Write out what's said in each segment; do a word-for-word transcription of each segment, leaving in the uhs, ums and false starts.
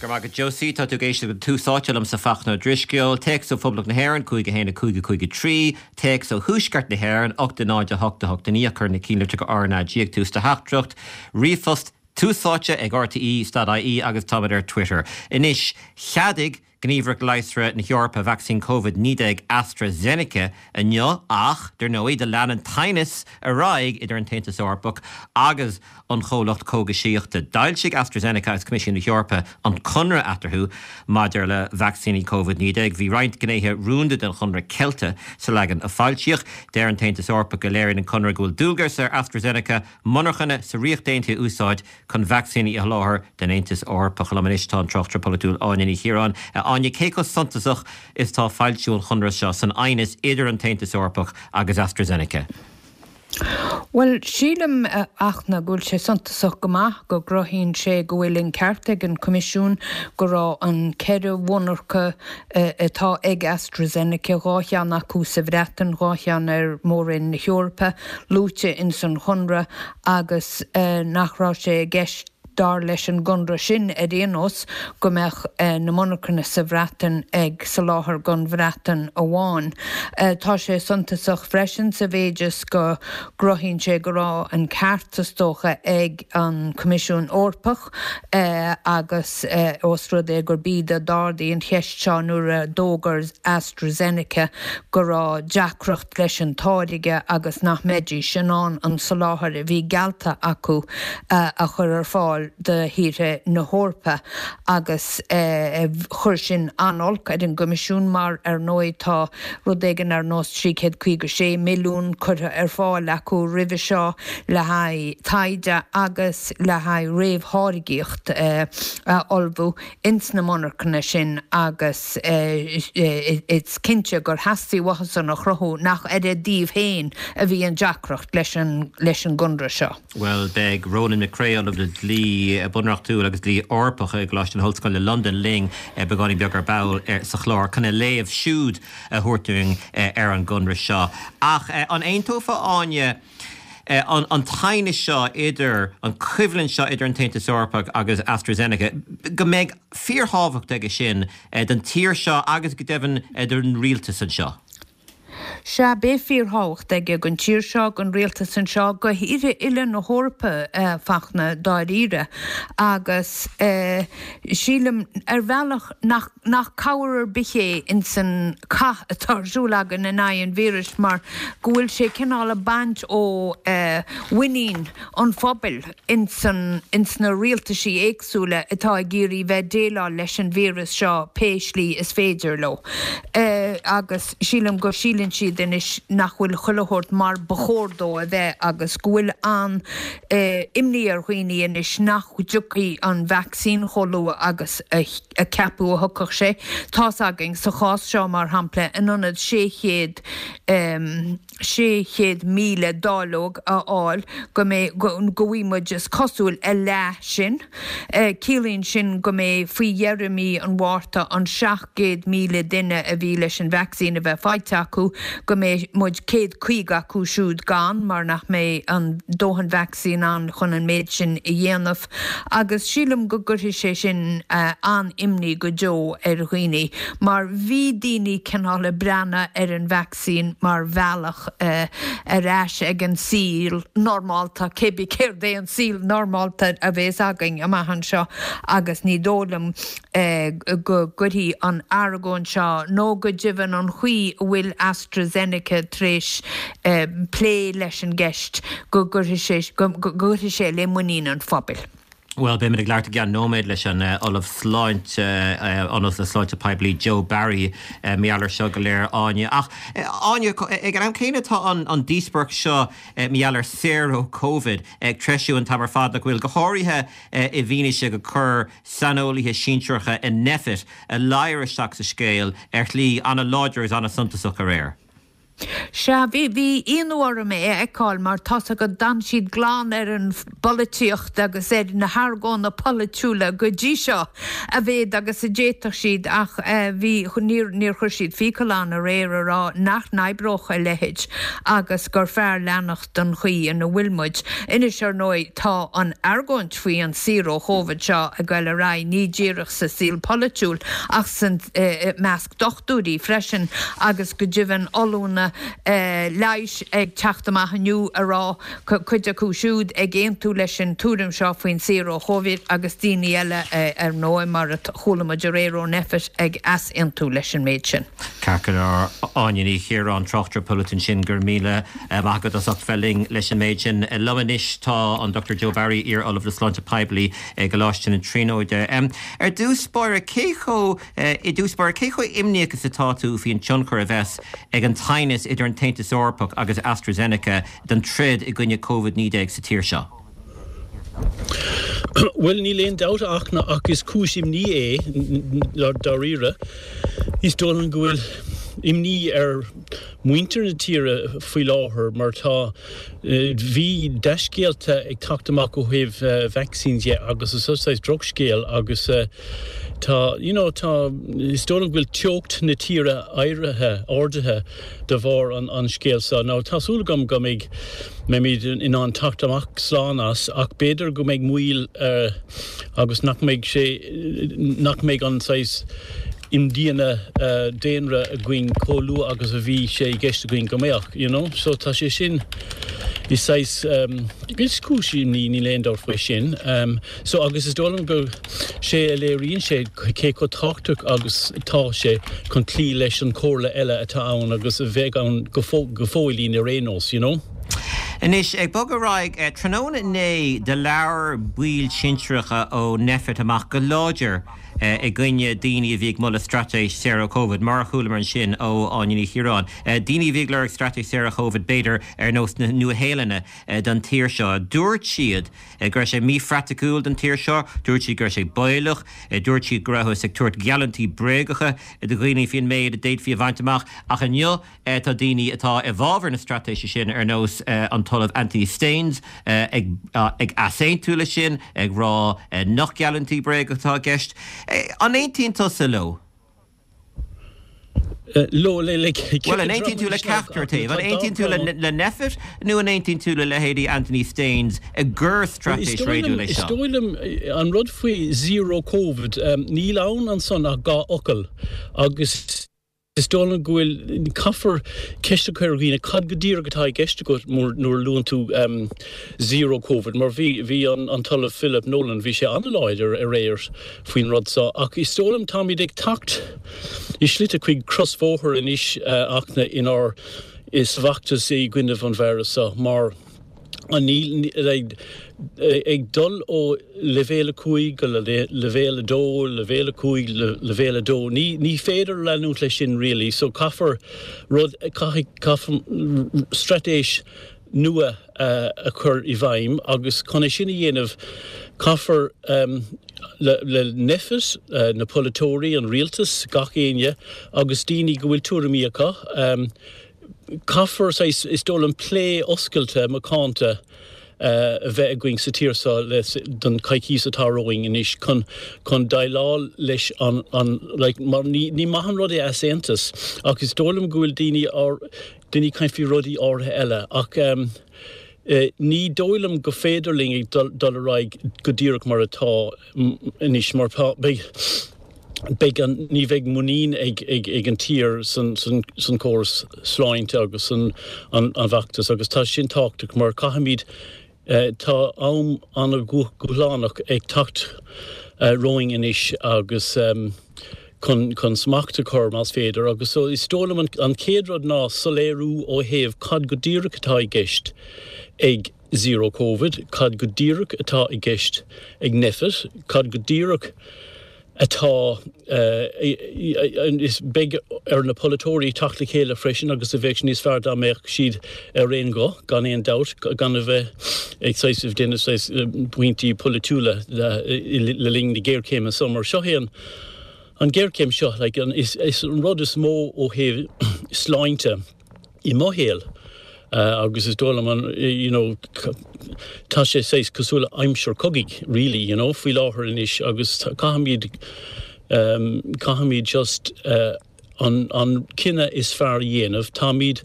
Go raibh maith agat Josie tá tú ag éisteacht le Tús Áite liomsa Fachtna Ó Drisceoil, Téacs ó Phoblacht na hÉireann cúig a haon a cúig a cúig a trí, Téacs ó Thuaisceart na hÉireann ocht a náid a hocht a hocht a naoi cuir na ceannlitreacha RnaG ag tús do theachtaireacht, Ríomhphost Tús Áite ag RTÉ dot IE agus táimid ar Twitter. Anois cheadaigh Gníomhaireacht Leigheasra na hEorpa vacsaín Covid naoi déag AstraZeneca inniu ach, dar ndóigh, do lean an t-aighneas ar aghaidh idir an tAontas Eorpach agus an chomhlacht cógaisíochta. D'fhoilsigh AstraZeneca agus Coimisiún na hEorpa an conradh eatarthu maidir le vacsaíní Covid naoi déag. Bhí roinnt gnéithe rúnda den chonradh ceilte sa leagan a foilsíodh. Deir an tAontas Eorpach go léiríonn an conradh go bhfuil dualgas ar AstraZeneca monarchana sa Ríocht Aontaithe a úsáid chun vacsaíní a sholáthar don Aontas Eorpach. Liom anois tá an tráchtaire polaitiúil Áine Ní Chiaráin. Áine, cé chomh suntasach is atá foilsiú an chonradh seo san aighneas idir an tAontas Eorpach agus AstraZeneca? Bhuel, sílim, a Fhachtna, go bhfuil sé suntasach go maith, go gcruthaíonn sé go bhfuil an ceart ag an Coimisiún go raibh an ceithre mhonarcha atá ag AstraZeneca, dhá cheann acu sa Bhreatain, dhá cheann ar Mhór-Roinn na hEorpa, luaite ins an chonradh agus nach raibh sé i gceist, dar leis an gconradh sin ar aon nós, go mbeadh na monarchana sa Bhreatain ag soláthar don Bhreatain amháin. Tá sé suntasach freisin sa mhéid is go gcruthaíonn sé go raibh an ceart, is dócha, ag an Coimisiún Eorpach agus ós rud é gurb iad a d'ardaigh an cheist seo nuair a d'fhógair AstraZeneca go raibh deacracht leis an táirge agus nach mbeidís in ann an soláthar a bhí geallta acu a chur ar fáil do thíortha na hEorpa agus chuir sin an-olc ar an gCoimisiún mar, ar ndóigh, tá rud éigin ar nós trí chéad caoga sé milliún curtha ar fáil acu roimhe seo le haghaidh taighde agus le haghaidh réamhtháirgíocht a ullmhú ins na monarchana sin agus is cinnte gur theastaigh uathusan a chruthú nach ar a dtaobh féin a bhí an deacracht leis an leis an gconradh seo. Bhuel, beidh Ronan McCrea, Ollamh le Dlí Bunreachtúil agus Dlí Eorpach i gColáiste na hOllscoile Londain linn beagáinín beag ar ball sa chlár chun a léamh siúd a thabhairt dúinn ar an gconradh seo. Ach an aontófá, Áine, an t-aighneas seo idir, an choimhlint seo idir an tAontas Eorpach agus AstraZeneca, go mbeidh fíorthábhacht aige sin don tír seo agus go deimhin don rialtas anseo? Sea, beidh fíorthábhacht aige don tír seo, don rialtas anseo, do thíortha uile na hEorpa, a Fachtna, dáiríre. Agus sílim, ar bhealach, nach nach cabhair ar bith é ins an cath atá ar siúl againn in aghaidh an víris mar go bhfuil sé cineál ag baint ó mhuinín an phobail ins an ins na rialtaisí éagsúla atá ag iarraidh bheith déileáil leis an víreas seo pé slí is féidir leo. Agus sílim go síleann siad anois nach bhfuil chuile shórt mar ba chóir dó a bheith agus go bhfuil an imní ar dhaoine anois nach dtiocfaidh an vacsaín chomh luath agus a ceapadh a thiocfadh sé. Tá's againn, sa chás seo mar shampla, in ionad sé chéad sé chéad míle dáileog a fháil go mbeidh, go bhfaighidh muid, is cosúil, a leath sin. Ciallaíonn sin go mbeidh faoi dheireadh mí an Mhárta an seacht gcéad míle duine a bhí leis an vacsaín a bheith faighte acu, go mbeidh muid céad caoga acu siúd gann mar nach mbeidh an dóthain vacsaín ann chun an méid sin a dhéanamh. Agus sílim go gcuirfidh sé sin an-imní go deo ar dhaoine mar bhí daoine cineál ag breathnú ar an vacsaín mar bhealach ar ais ag an saol normálta, cébí céard é an saol normálta a bheas againn amach anseo agus ní dóigh liom go gcuirfidh an argóint seo nó go deimhin an chaoi a bhfuil AstraZeneca tar éis plé leis an gceist go gcuirfidh sé le muinín an phobail. Bhuel, beimid ag labhairt i gceann nóiméad leis an Ollamh Sláinte, Ollamh le Sláinte Poiblí Joe Barry mar gheall air seo go léir, Áine. Ach, Áine, ag an am céanna tá an díospóireacht seo mar gheall ar saor ó Covid ag treisiú an t-am ar fad, nach bhfuil, go háirithe i bhfianaise gur chuir saineolaithe sinsearacha i Nphet a ladhar isteach sa scéal ar shlí an-láidir agus an-suntasach aréir. Sea, bhí bhí ionadh orm é a fheiceáil mar tá's agat d'fhan siad glan ar an bpolaitíocht agus ar na hargóna polaitiúla go dtí seo a mhéad agus a d'fhéadfadh siad ach bhí níor níor chuir siad fiacail ann aréir a rá nach n-oibreodh a leithéid agus gur fearr leanacht den chaoi ina bhfuil muid. Anois ar ndóigh tá an argóint faoi an saor ó Chóvid seo ag goil ar aghaidh ní díreach sa saol polaitiúil ach san measc dochtúirí freisin agus go deimhin ollúna leighis ag teacht amach inniu a rá cuid acu siúd ag aontú leis an tuairim seo faoin saor ó Chóvid agus daoine eile ar ndóigh mar a chuala muid aréir ó Nphet ag easaontú leis an méid sin. Ceart go leor Áine Ní Chiaráin tráchtaire polaitiúil ansin go raibh míle maith agat as ucht bheith linn leis an méid sin. Liom anois tá an Dochtúir Joe Barry, iar-Ollamh le Sláinte Poiblí i gColáiste na Tríonóide. Ar dtús báire cé chomh i dtús báire cé chomh imníoch is atá tú faoin tionchar a bheas ag an teannas idir an tAontas Eorpach agus AstraZeneca don troid i gcoinne Covid naoi déag sa tír seo? Bhuel níl aon dabht ach ach is cúis imní é dáiríre. Is dóigh liom go bhfuil imní ar mhuintir na tíre faoi láthair mar tá bhí dea-scéalta ag teacht amach ó thaobh vacsaín de agus is saghas drochscéal agus tá you know tá is dóigh liom go bhfuil teocht na tíre éirithe ardaithe de bharr an an scéal seo. Now tá súil agam go mbeidh mbeimid in ann teacht amach slán as ach b'fhéidir go mbeidh moill agus nach mbeidh sé nach mbeidh an saghas imdhíonadh daonra againn chomh luath agus a bhí sé i gceist againn go mbeadh, you know. So tá sé sin is saghas is cúis imní níl aon dabht faoi sin. So agus is dóigh liom go sé a léiríonn sé cé chomh tábhachtach agus atá sé chun cloí leis an chomhairle eile atá ann agus a bheidh ann go fóillín ar aon nós, you know. Anois, ag bogadh ar aghaidh, tráthnóna inné do labhair baill sinsearacha ó Nphet amach go láidir i gcoinne daoine a bhí ag moladh straitéis saor ó Covid, mar a chualamar ansin ó Áine Ní Chiaráin. Daoine a bhí ag lorg straitéis saor ó Covid, b'fhéidir, ar nós na Nua-Shéalainne don tír seo. Dúirt siad go raibh sé míphraiticiúil don tír seo, dúirt siad go raibh sé baolach, dúirt siad go rabhthas ag tabhairt geallúintí bréagacha do dhaoine faoin méid a d'fhéadfaí a bhaint amach. Ach inniu tá daoine atá i bhfabhar na straitéise sin, ar nós an tOllamh Anthony Staines, ag ag easaontú leis sin, ag rá nach geallúintí bréagacha atá i gceist. An aontaíonn tusa leo? Leo le le Bhuel, an aontaíonn tú le ceachtar taobh? An aontaíonn tú le Nphet nó an aontaíonn tú le leithéidí Anthony Staines gur straitéis réadúil é Is seo? dóigh liom an rud faoi zero Covid, níl ann ansan ach dhá fhocal agus is dóigh liom go bhfuil caithfear ceist a chur ar dhaoine cad go díreach atá i gceist agat nuair a luann tú zero Covid mar bhí bhí an an tOllamh Philip Nolan bhí sé an-láidir aréir faoin rud seo ach is dóigh liom táimid ag teacht i slite chuig crosbhóthar anois ach na inár is bhfeachtas i gcoinne an víreas seo mar an níl ag dul ó leibhéal a cúig go leibhéal a dó, leibhéal a cúig, leibhéal a dó. Ní ní féidir leanúint leis sin really, so caithfear rud caithfidh caithfear straitéis nua a chur i bhfeidhm agus chun é sin a dhéanamh caithfear le le Nphet, na polaiteoirí, an rialtas, gach éinne agus daoine go bhfuil tuairimí acu, Caithfear, is dóigh liom, plé oscailte macánta a bheith againn sa tír seo le don choicís atá romhainn anois chun chun déileáil leis an an like mar ní ní maith an rud é easaontas ach is dóigh liom go bhfuil daoine ár daoine ag caint faoi rudaí áirithe eile ach ní dóigh liom go féidir linn ag dul dul ar aghaidh go díreach mar atá anois mar tá beidh beidh an, ní bheidh muinín ag, ag, ag an tír san, san, san córas sláinte agus san an, an bhfeachtas agus tá sin tábhachtach mar caithfimid, tá am an-dhúshlánach ag teacht romhainn anois agus chun, chun smacht a chur más féidir agus so is dóigh liom an, an chéad rud ná soiléiriú ó thaobh cad go díreach atá i gceist ag Zero Covid, cad go díreach atá i gceist ag Nphet, cad go díreach atá is beidh ar na polaiteoirí teacht le chéile freisin agus a bheadh níos fearr dá mbeadh siad ar aon ghuth, gan aon dabht, gan a bheith ag saghas ag déanamh saghas pointí polaitiúla le linn na géarchéime seo mar seo é an an ghéarchéim seo like an is is an rud is mó ó thaobh sláinte. i mo shaol. Uh, agus is dóigh liom an you know, tá sé saghas cosúil le aimsir cogaidh really you know, faoi láthair anois agus caithfimid um, caithfimid just uh, an, an cinneadh is fearr a dhéanamh táimid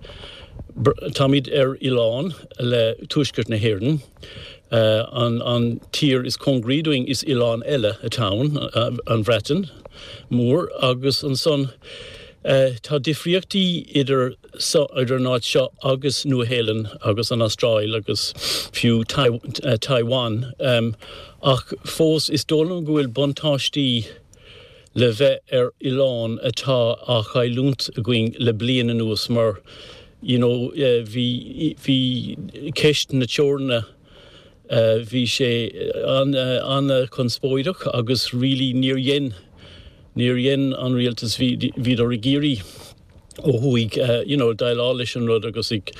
táimid ar oileán le Tuaisceart na hÉireann. Uh, an, an tír is cóngaraí dúinn is oileán eile atá ann uh, an Bhreatain Mhór agus ansan uh, tá difríochtaí idir so idir an áit seo agus Nua-Shéalainn agus an Astráil agus fiú Tai uh, Taiwan um, ach fós is dóigh liom go bhfuil buntáistí le bheith ar oileán atá á chailliúint againn le bliain anuas mar you know, uh, bhí bhí ceist na teorann uh, bhí sé an uh, an-chonspóideach agus really níor dhein níor dhein an rialtas bhíodar ag iarraidh ó thuaidh uh, you know, déileáil leis an rud agus ag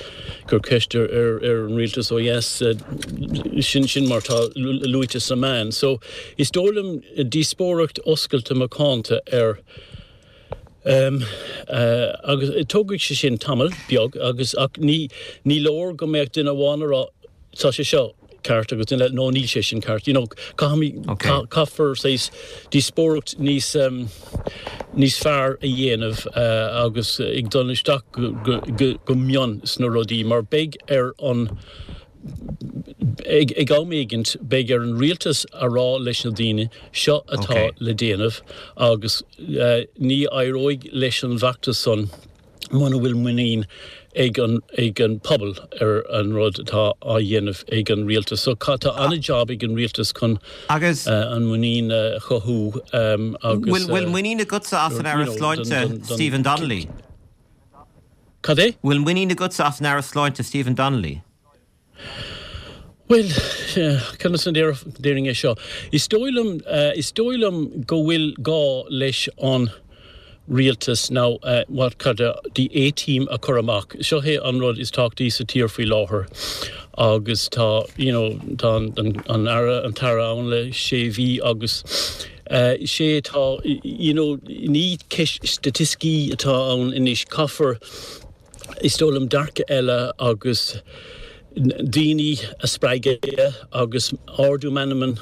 cur ceist ar ar ar an rialtas ó yes uh, sin sin mar tá luaite sa meán. So is dóigh liom díospóireacht oscailte macánta ar Um, uh, agus tógfaidh sé sin tamall beag agus ach ní ní leor go mbeadh duine amháin ag rá tá sé seo ceart agus duine no níl sé sin ceart you know, okay. caithfear saghas díospóireacht níos um, níos fearr a dhéanamh uh, agus ag dul isteach go, go, go, go mion sna rudaí mar beidh ar an ag ag am éigint beidh ar an rialtas a rá leis na daoine seo atá okay. le déanamh agus uh, ní éireoidh leis an bhfeachtas san muna bhfuil muinín ag an ag an pobal ar an rud atá á dhéanamh ag an rialtas. So tá an-job ag an rialtas chun agus uh, an muinín uh, chothú um, agus Bhfuil muinín agatsa as an Aire Sláinte Stephen Donnelly? Cad é? Bhfuil muinín agatsa as an Aire Sláinte Stephen Donnelly? Well, conas an déarfainn é seo. Is dóigh liom uh, is dóigh liom go bhfuil gá leis an rialtas now uh, what cad the A-team a chur amach. Seo é an rud is tábhachtaí sa tír faoi láthair agus tá you know, tá an, an aire an t-aire ann le sé mhí agus uh, sé tá you know, ní staitisticí atá ann anois caithfear is dóigh liom dearcadh eile agus daoine a spreagadh agus ardú meanman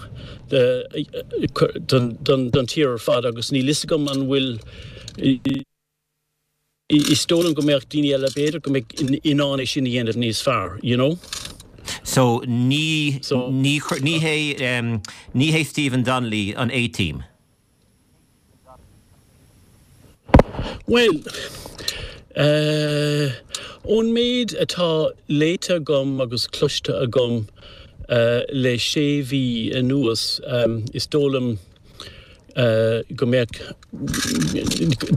don don tír ar fad agus níl a fhios agam an bhfuil is dóigh liom go mbeadh daoine eile b'fhéidir go mbeadh in ann é sin a dhéanamh níos fearr, you know? So ní so, ní ní hé um, ní hé Stephen Donnelly an A-team. Well, uh, ón méid atá léite agam agus cloiste agam uh, le sé mhí anuas um, is dóigh liom uh, go mbeadh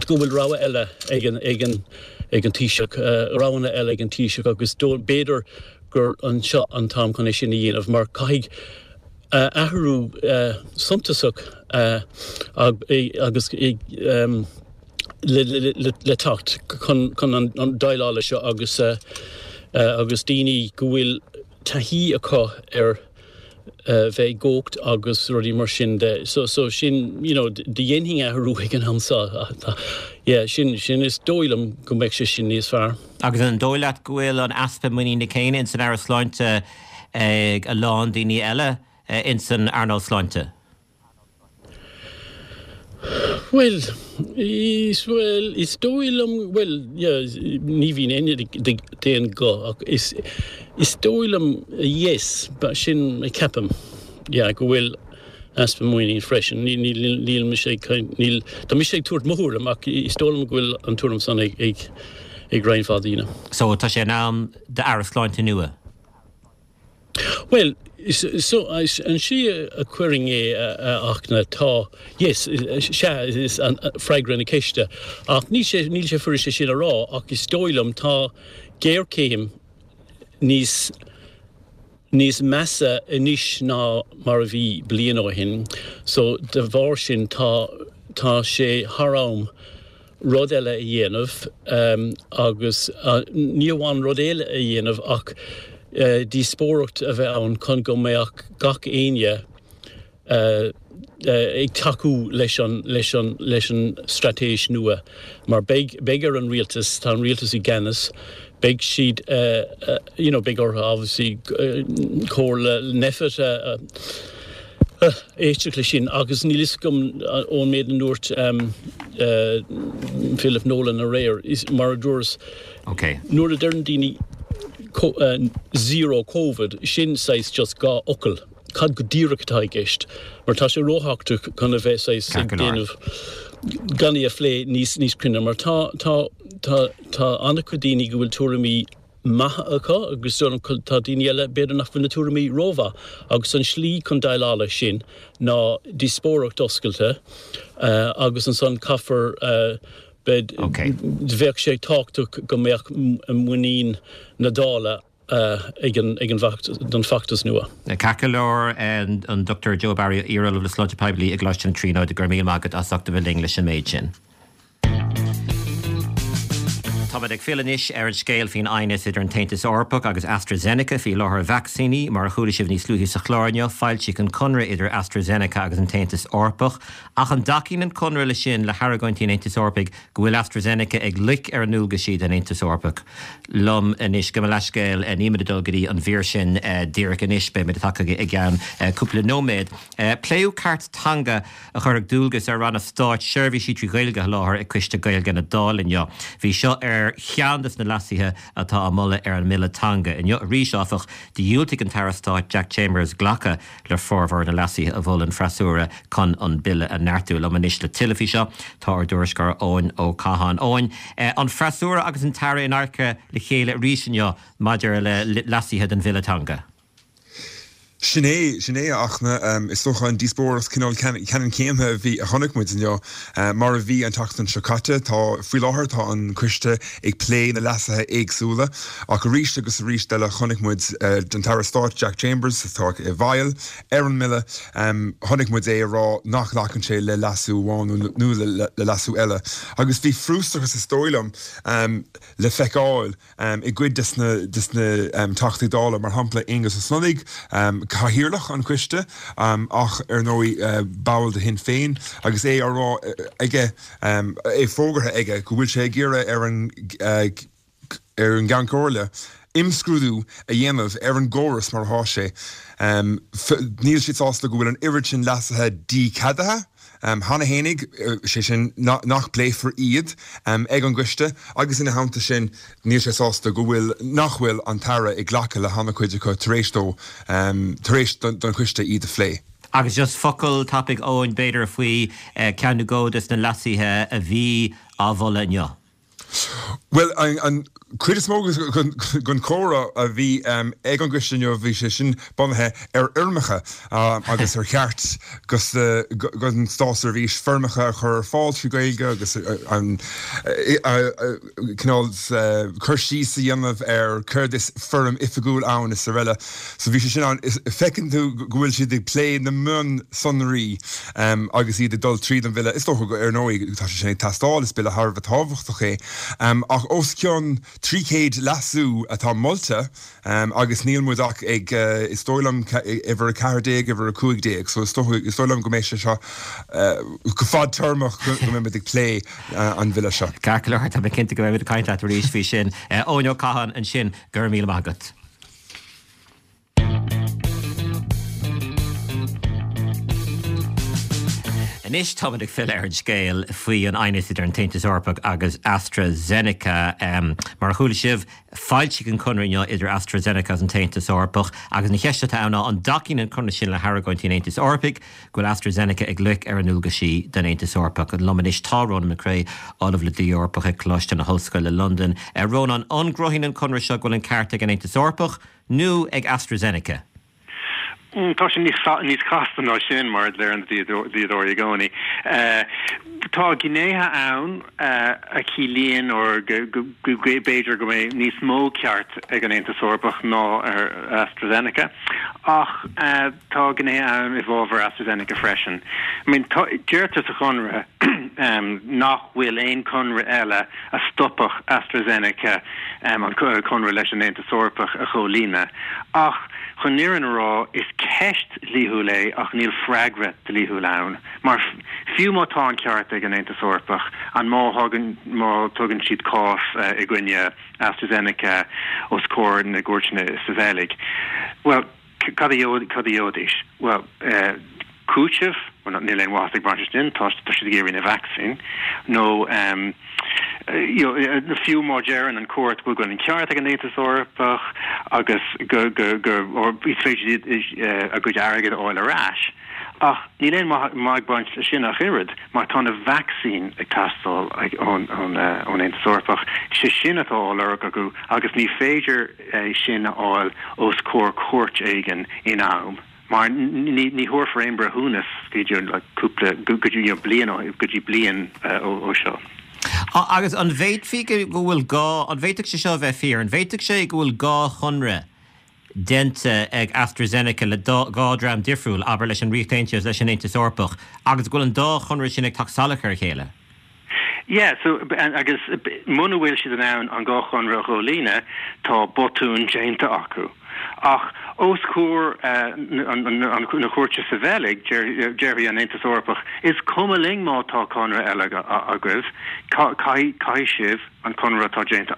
go bhfuil rogha eile ag an ag an ag an Taoiseach uh, roghanna eile ag an Taoiseach agus b'fhéidir gur an seo an t-am chun é sin a dhéanamh mar caithfidh uh, athrú uh, suntasach uh, agus um, le, le, le, le teacht chun, chun an, an déileáil seo agus uh, uh, agus daoine go bhfuil taithí acu ar uh, bheith i gcumhacht agus rudaí mar sin de. So, so sin you know, dhéanfainn athrú ag an am seo. Yeah, sin, sin is dóigh liom go mbeadh sé sin níos fearr. Agus an dóigh leat go bhfuil an easpa muiníne céanna in san Aire Sláinte ag a lán daoine eile in san earnáil sláinte? Well, is well, is dóigh liom well, yeah, ní bhíonn éinne d'aon ghuth ach is is dóigh liom yes, but sin a ceapaim yeah, go bhfuil easpa muinín freisin. Níl níl mise níl tá mise ag tabhairt mo thuairim ach is dóigh liom go bhfuil an tuairim san ag ag ag roinnt mhaith daoine. So tá sé in am d'Aire Sláinte nua. Well, so an sí a chuiring é ach na tá yes sea is an freagra na ceiste ach ní sé níl sé fuiriste sin a rá ach is dóigh liom tá géarchéim níos níos measa anois ná mar a bhí bliain ó shin so de bharr sin tá tá sé thar am rud eile a dhéanamh um, agus uh, ní amháin rud eile a dhéanamh ach uh, díospóireacht a bheith ann chun go mbeadh gach éinne uh, uh, ag tacú leis an, leis an, leis an straitéis nua. Mar beidh, beidh ar an rialtas, tá an rialtas i gceannas, Beidh siad you know beidh orthu obviously comhairle Nphet a éisteacht leis sin agus níl fhios agam ón méid a dúirt Philip Nolan aréir mar a dúras okay. nuair a deireann daoine zero COVID sin saghas just dhá fhocal. Cad go díreach atá i gceist, mar tá sé róthábhachtach chun a bheith saghas ag déanamh gan í a phlé níos níos cruinne, mar tá tá tá tá an-chuid daoine go bhfuil tuairimí maithe acu agus tá daoine eile b'fhéidir nach bhfuil na tuairimí rómhaith agus an slí chun déileáil leis sin ná díospóireacht oscailte agus ansan caithfear bheadh sé tábhachtach go mbeadh muinín na Dála ag an ag an don fheachtas nua. Ceart go leor an Dr Joe Barry iar-ollamh le sláinte poiblí i gColáiste na Tríonóide go raibh míle maith agat as ucht a bheith linn leis an méid sin. Táimid ag filleadh anois ar an scéal faoin aighneas idir an tAontas Eorpach agus AstraZeneca faoi sholáthar vacsaíní mar a chuala sibh níos luaithe sa chlár inniu, foilsíodh an conradh idir AstraZeneca agus an tAontas Eorpach. Ach an dtacaíonn an conradh le sin le hargóintí an Aontais Eorpaigh go bhfuil AstraZeneca ag loic ar a ndualgaisí don Aontas Eorpach? Liom anois gabh mo leithscéal nílimid ag dul go dtí an mhír sin díreach anois, beimid ag teacht chuige i gceann cúpla nóiméad. Pléadh cairt teanga a chuirfeadh dualgas ar ranna stáit seirbhísí trí Ghaeilge a sholáthar ag Coiste Gaeilge na Dála inniu. Bhí seo ar cheann de na leasuithe atá á moladh ar an mBille Teanga. Inniu arís, áfach, dhiúltaigh an tAire Stáit Jack Chambers glacadh le formhór na leasuithe a mhol an freasúra chun an bille a neartú. Liom anois le tuilleadh faoi seo tá ár dtuairisceoir Eoin Ó Catháin. Eoin, an freasúra agus an tAire in adharca le chéile arís inniu maidir le leasuithe den Bhille Teanga. Sin é, sin é ach na is dócha an díospóireacht cineál ceannann céanna a bhí a chonaic muid inniu mar a bhí an tseachtain seo caite. Tá faoi láthair tá an coiste ag plé na leasuithe éagsúla ach arís agus arís eile chonaic muid den Aire Stáit Jack Chambers atá i bhfeighil ar an mbille chonaic muid é a rá nach nglacann sé le leasú amháin nó le leasú eile. Agus bhí frustrachas is dóigh liom le feiceáil i gcuid des na des na Teachtaí Dála mar shampla Aengus Ó Snodaigh, cathaoirleach an choiste ach ar ndóigh ball de Shinn Féin agus é á rá aige é fógartha aige go bhfuil sé ag iarraidh ar an ar an gCeann Comhairle imscrúdú a dhéanamh ar an gcóras mar atá sé. Níl siad sásta go bhfuil an oiread sin leasuithe dícheadaithe cheana fhéinig, sé sin nach bpléifear iad ag an gcoiste agus ina theannta sin níl sé sásta go bhfuil nach bhfuil an tAire ag glacadh le han-chuid acu tar éis dó tar éis don choiste iad a phlé. Agus just focal tapaidh Eoin b'fhéidir faoi ceann nó dhó des na leasuithe a bhí á mholadh inniu. Well an chuid is mó den chomhrá a bhí ag an gcoiste inniu bhí sé sin bunaithe ar fhoirmeacha agus ar cheart don státseirbhís foirmeacha a chur ar fáil trí Ghaeilge agus an cineál cur síos a dhéanamh ar céard is foirm oifigiúil ann is araile. So bhí sé sin ann. Feiceann tú go bhfuil siad ag plé na mionsonraí agus iad ag dul tríd an bhille. Is dócha ar ndóigh tá sé sin ag teastáil, is bille thar a bheith tábhachtach é. Ach os cionn trí chéad leasú atá molta agus níl muid ach ag, is dóigh liom, uimhir a ceathair déag, uimhir a cúig déag. So is dóigh is dóigh liom go mbeidh sé seo go fadtéarmach go mbeidh muid ag plé an bhille seo. Ceart go leor, tá mé cinnte go mbeidh muid ag caint leat arís faoi sin. Eoin Ó Catháin ansin, go raibh míle maith agat. Anois táimid ag filleadh ar an scéal faoi an aighneas idir an tAontas Eorpach agus AstraZeneca. Mar a chuala sibh, foilsíodh an conradh inniu idir AstraZeneca agus an tAontas Eorpach agus an cheist atá ann ná an dtacaíonn an conradh sin le hargóintí an Aontais Eorpaigh go bhfuil AstraZeneca ag loic ar a ndualgaisí don Aontas Eorpach. Liom anois tá Rónán Mac Craith, Ollamh le Dlí Eorpach ag Coláiste na hOllscoile, Londain. Rónán, an gcruthaíonn an conradh seo go bhfuil an ceart ag an Aontas Eorpach nó ag AstraZeneca? Tá sé níos casta ná sin, mar a deireann dlíodóirí i gcónaí. Tá gnéithe ann a chiallaíonn or go b'fhéidir go mbeidh níos mó ceart ag an Aontas Eorpach ná ar AstraZeneca, ach tá gnéithe ann i bhfabhar AstraZeneca freisin. I mean, deirtear sa chonradh nach bhfuil aon chonradh eile a stopfadh AstraZeneca an conradh leis an Aontas Eorpach a chomhlíonadh. Ach chun an fhírinne a rá, is ceist dhlíthiúil é ach níl freagra dlíthiúil ann. Mar fiú má tá an ceart ag an Aontas Eorpach, an má thagann má tugann siad cás i gcoinne AstraZeneca os comhair na gcúirteanna sa Bheilg, bhuel, cad a gheobhaidís? Bhuel, cúiteamh, bhuel, níl aon mhaitheas ag baint leis sin, tá siad ag iarraidh na vacsaín, nó fiú má deireann an chúirt go bhfuil an ceart ag an Aontas Eorpach agus go go go is féidir a gcuid airgid a fháil ar ais. Ach níl aon mhaith ag baint leis sin ach oiread, mar tá na vacsaín ag teastáil ón Aontas Eorpach. Sé sin atá á lorg acu agus ní féidir é sin a fháil os comhair cúirt éigin in am, mar ní thabharfar aon breithiúnas go dtí cúpla, go dtí bliain, go dtí bliain ó seo. Agus an bhféadfaí go bhfuil dhá, an bhféadfadh sé seo a bheith fíor, an bhféadfadh sé go bhfuil dhá chonradh déanta ag AstraZeneca le dhá dhream difriúil, abair leis an Ríocht Aontaithe agus leis an Aontas Eorpach, agus go bhfuil an dá chonradh sin ag teacht salach ar a chéile? Yeah, so, agus muna bhfuil siad in ann an dhá chonradh a chomhlíonadh, tá botún déanta acu. Ach os comhair na cúirte sa Bheilg, déarfaidh an Aontas Eorpach, is cuma linn má tá conradh eile agaibh, caithfidh sibh an conradh atá déanta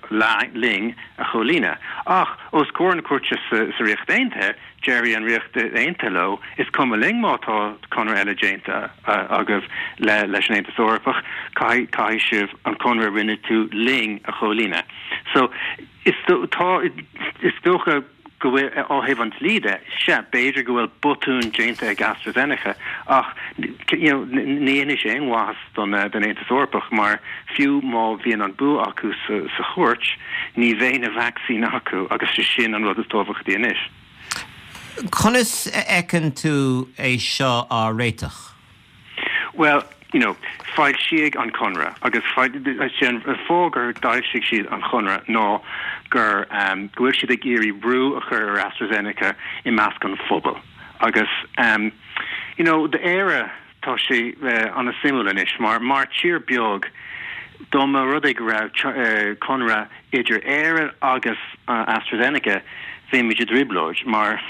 linn a chomhlíonadh. Ach os comhair na cúirte sa Ríocht Aontaithe, déarfaidh an Ríocht Aontaithe leo, is cuma linn má tá conradh eile déanta agaibh leis an Aontas Eorpach, caithfidh sibh an conradh a rinne tú linn a chomhlíonadh. So, is dócha go bhfuil, ó thaobh an dlí de, sea, b'fhéidir go bhfuil botún déanta ag AstraZeneca, ach you know, ní dhéanfaidh sé aon mhaitheas don don Aontas Eorpach mar fiú má bhíonn an bua acu sa sa chúirt, ní bheidh na vacsaíní acu agus sé sin an rud is tábhachtaí anois. Conas a fheiceann tú é seo á réiteach? Bhuel, you know, foilsíodh an conradh agus sé an fáth gur d'fhoilsigh siad an chonradh ná gur um, go bhfuil siad ag iarraidh brú a chur ar AstraZeneca i measc an phobail. Agus um, you know, d'Éire tá sé uh, an-suimiúil anois mar mar tír beag dá mba rud é go raibh uh, conradh idir Éire agus uh, AstraZeneca bheimid i dtrioblóid mar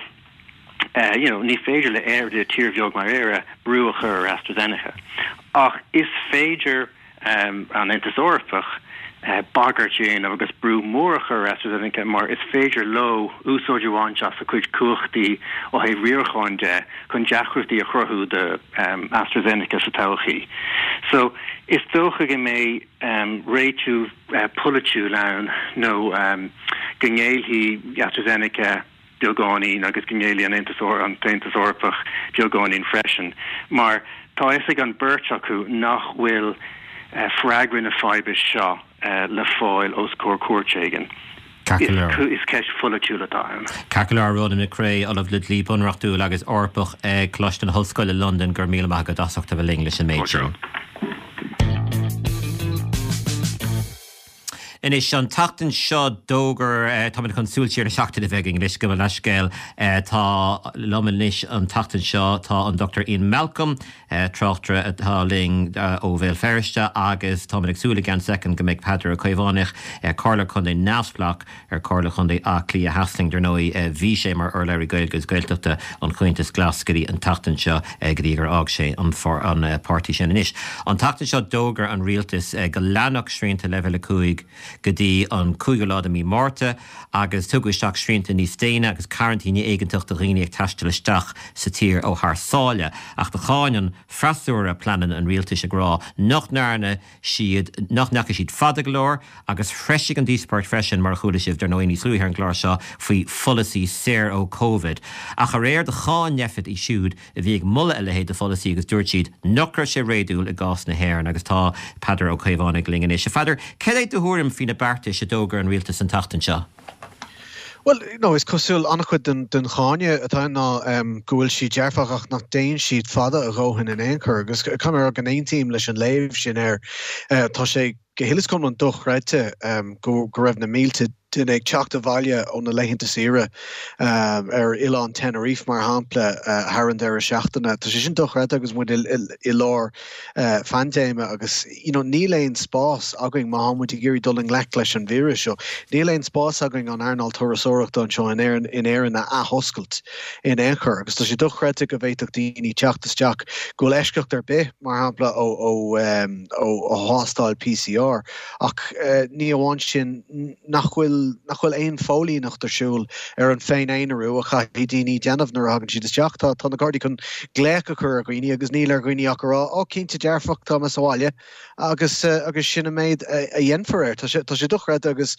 you know, ní féidir le Éire le tír bheag mar Éire brú a chur ar AstraZeneca. Ach is féidir um, an Aontas Eorpach uh, bagairt a dhéanamh agus brú mór a chur ar AstraZeneca mar is féidir leo úsáid a bhaint as a cuid cumhachtaí ó thaobh riaracháin de chun deacrachtaí a chruthú do um, AstraZeneca sa todhchaí. So is dócha go mbeidh um, réitiú uh, polaitiúil ann nó um, go ngéillfidh AstraZeneca beagáinín agus go ngéillfidh an Aontas an tAontas Eorpach beagáinín freisin, mar tá fhios ag an beirt acu nach bhfuil eh, freagra na faidhbe seo eh, le fáil os comhair cúirt éigin. Is ceist pholaitiúil atá ann. Ceart go leor Ronan McCrea, Ollamh le Dlí Bunreachtúil agus Eorpach ag Coláiste na hOllscoile Londain go raibh míle maith agat as ucht a bheith linn leis an méid sin. Anois an tseachtain seo d'fhógair, táimid chun súil siar na seachtaine a bheith againn anois, gabh mo leithscéal, tá liom anois an tseachtain seo tá an Dochtúir Ian Malcolm, tráchtaire atá linn ó Bhéal Feirste agus táimid ag súil i gceann soicind go mbeidh Peadar Ó Caomhánaigh, Comhairleoir Contae neamhspleách ar Chomhairle Chontae Átha Cliath Theas linn. Dar ndóigh bhí sé mar urlabhraí Gaeilge agus Gaeltachta an Chomhaontais Glas go dtí an tseachtain seo go dtí gur fhág sé an páirtí sin. Anois an tseachtain seo d'fhógair an rialtas go leanfadh srianta leibhéal a cúig go dtí an cúigiú lá de mhí Márta agus tugadh isteach srianta níos déine agus cearantín éigeantach do dhaoine ag taisteal isteach sa tír ó thar sáile. Ach do cháin an freasúra pleananna an rialtais ag rá nach ndearna siad, nach ndeachaigh siad fada go leor agus threisigh an díospóireacht freisin, mar a chuala sibh dar ndóigh níos luaithe ar an gclár seo, faoi pholasaí saor ó Covid. Ach aréir do cháin Nphet iad siúd a bhí ag moladh a leithéid de pholasaí agus dúirt siad nach raibh sé réadúil i gcás na hÉireann agus tá Peadar Ó Caomhánaigh linn anois. A Pheadair, cad é do thuairim faoi na beartais a d'fhógair an rialtas an tseachtain seo? Bhuel, no, is cosúil an-chuid den, den cháineadh atá ann ná um, go bhfuil siad dearfach ach nach dtéann siad fada a dhóthain in aon chor agus caithfidh mé a rá go n-aontaím leis an léamh sin air. Uh, tá sé go huile is go hiomlán dochreidte um, go, go raibh na mílte duine ag teacht abhaile ó na laethanta saoire ar oileán Tenerife mar shampla thar an deireadh seachtaine. Tá sé sin dochreidte agus muid i lár phaindéime agus you know, níl aon spás againn má tá muid ag iarraidh dul i ngleic leis an víreas seo. Níl aon spás againn an earnáil turasóireachta anseo in Éirinn in Éirinn a athoscailt in aon chor agus tá sé dochreidte go bhféadfadh daoine teacht isteach go bhfuil eisceacht ar bith mar shampla ó ó ó ó thástáil PCR ach ní amháin sin nach bhfuil nach bhfuil aon phóilíneacht ar siúl ar an féin-aonarú a chaithfidh daoine déanamh nuair a thagann siad isteach. Tá tá na Gardaí chun glaoch a chur ar dhaoine agus níl ar dhaoine ach a rá ó cinnte dearfach tá mé sa bhaile agus uh, agus sin an méid a, a dhéanfar air. Tá sé tá sé dochreidte agus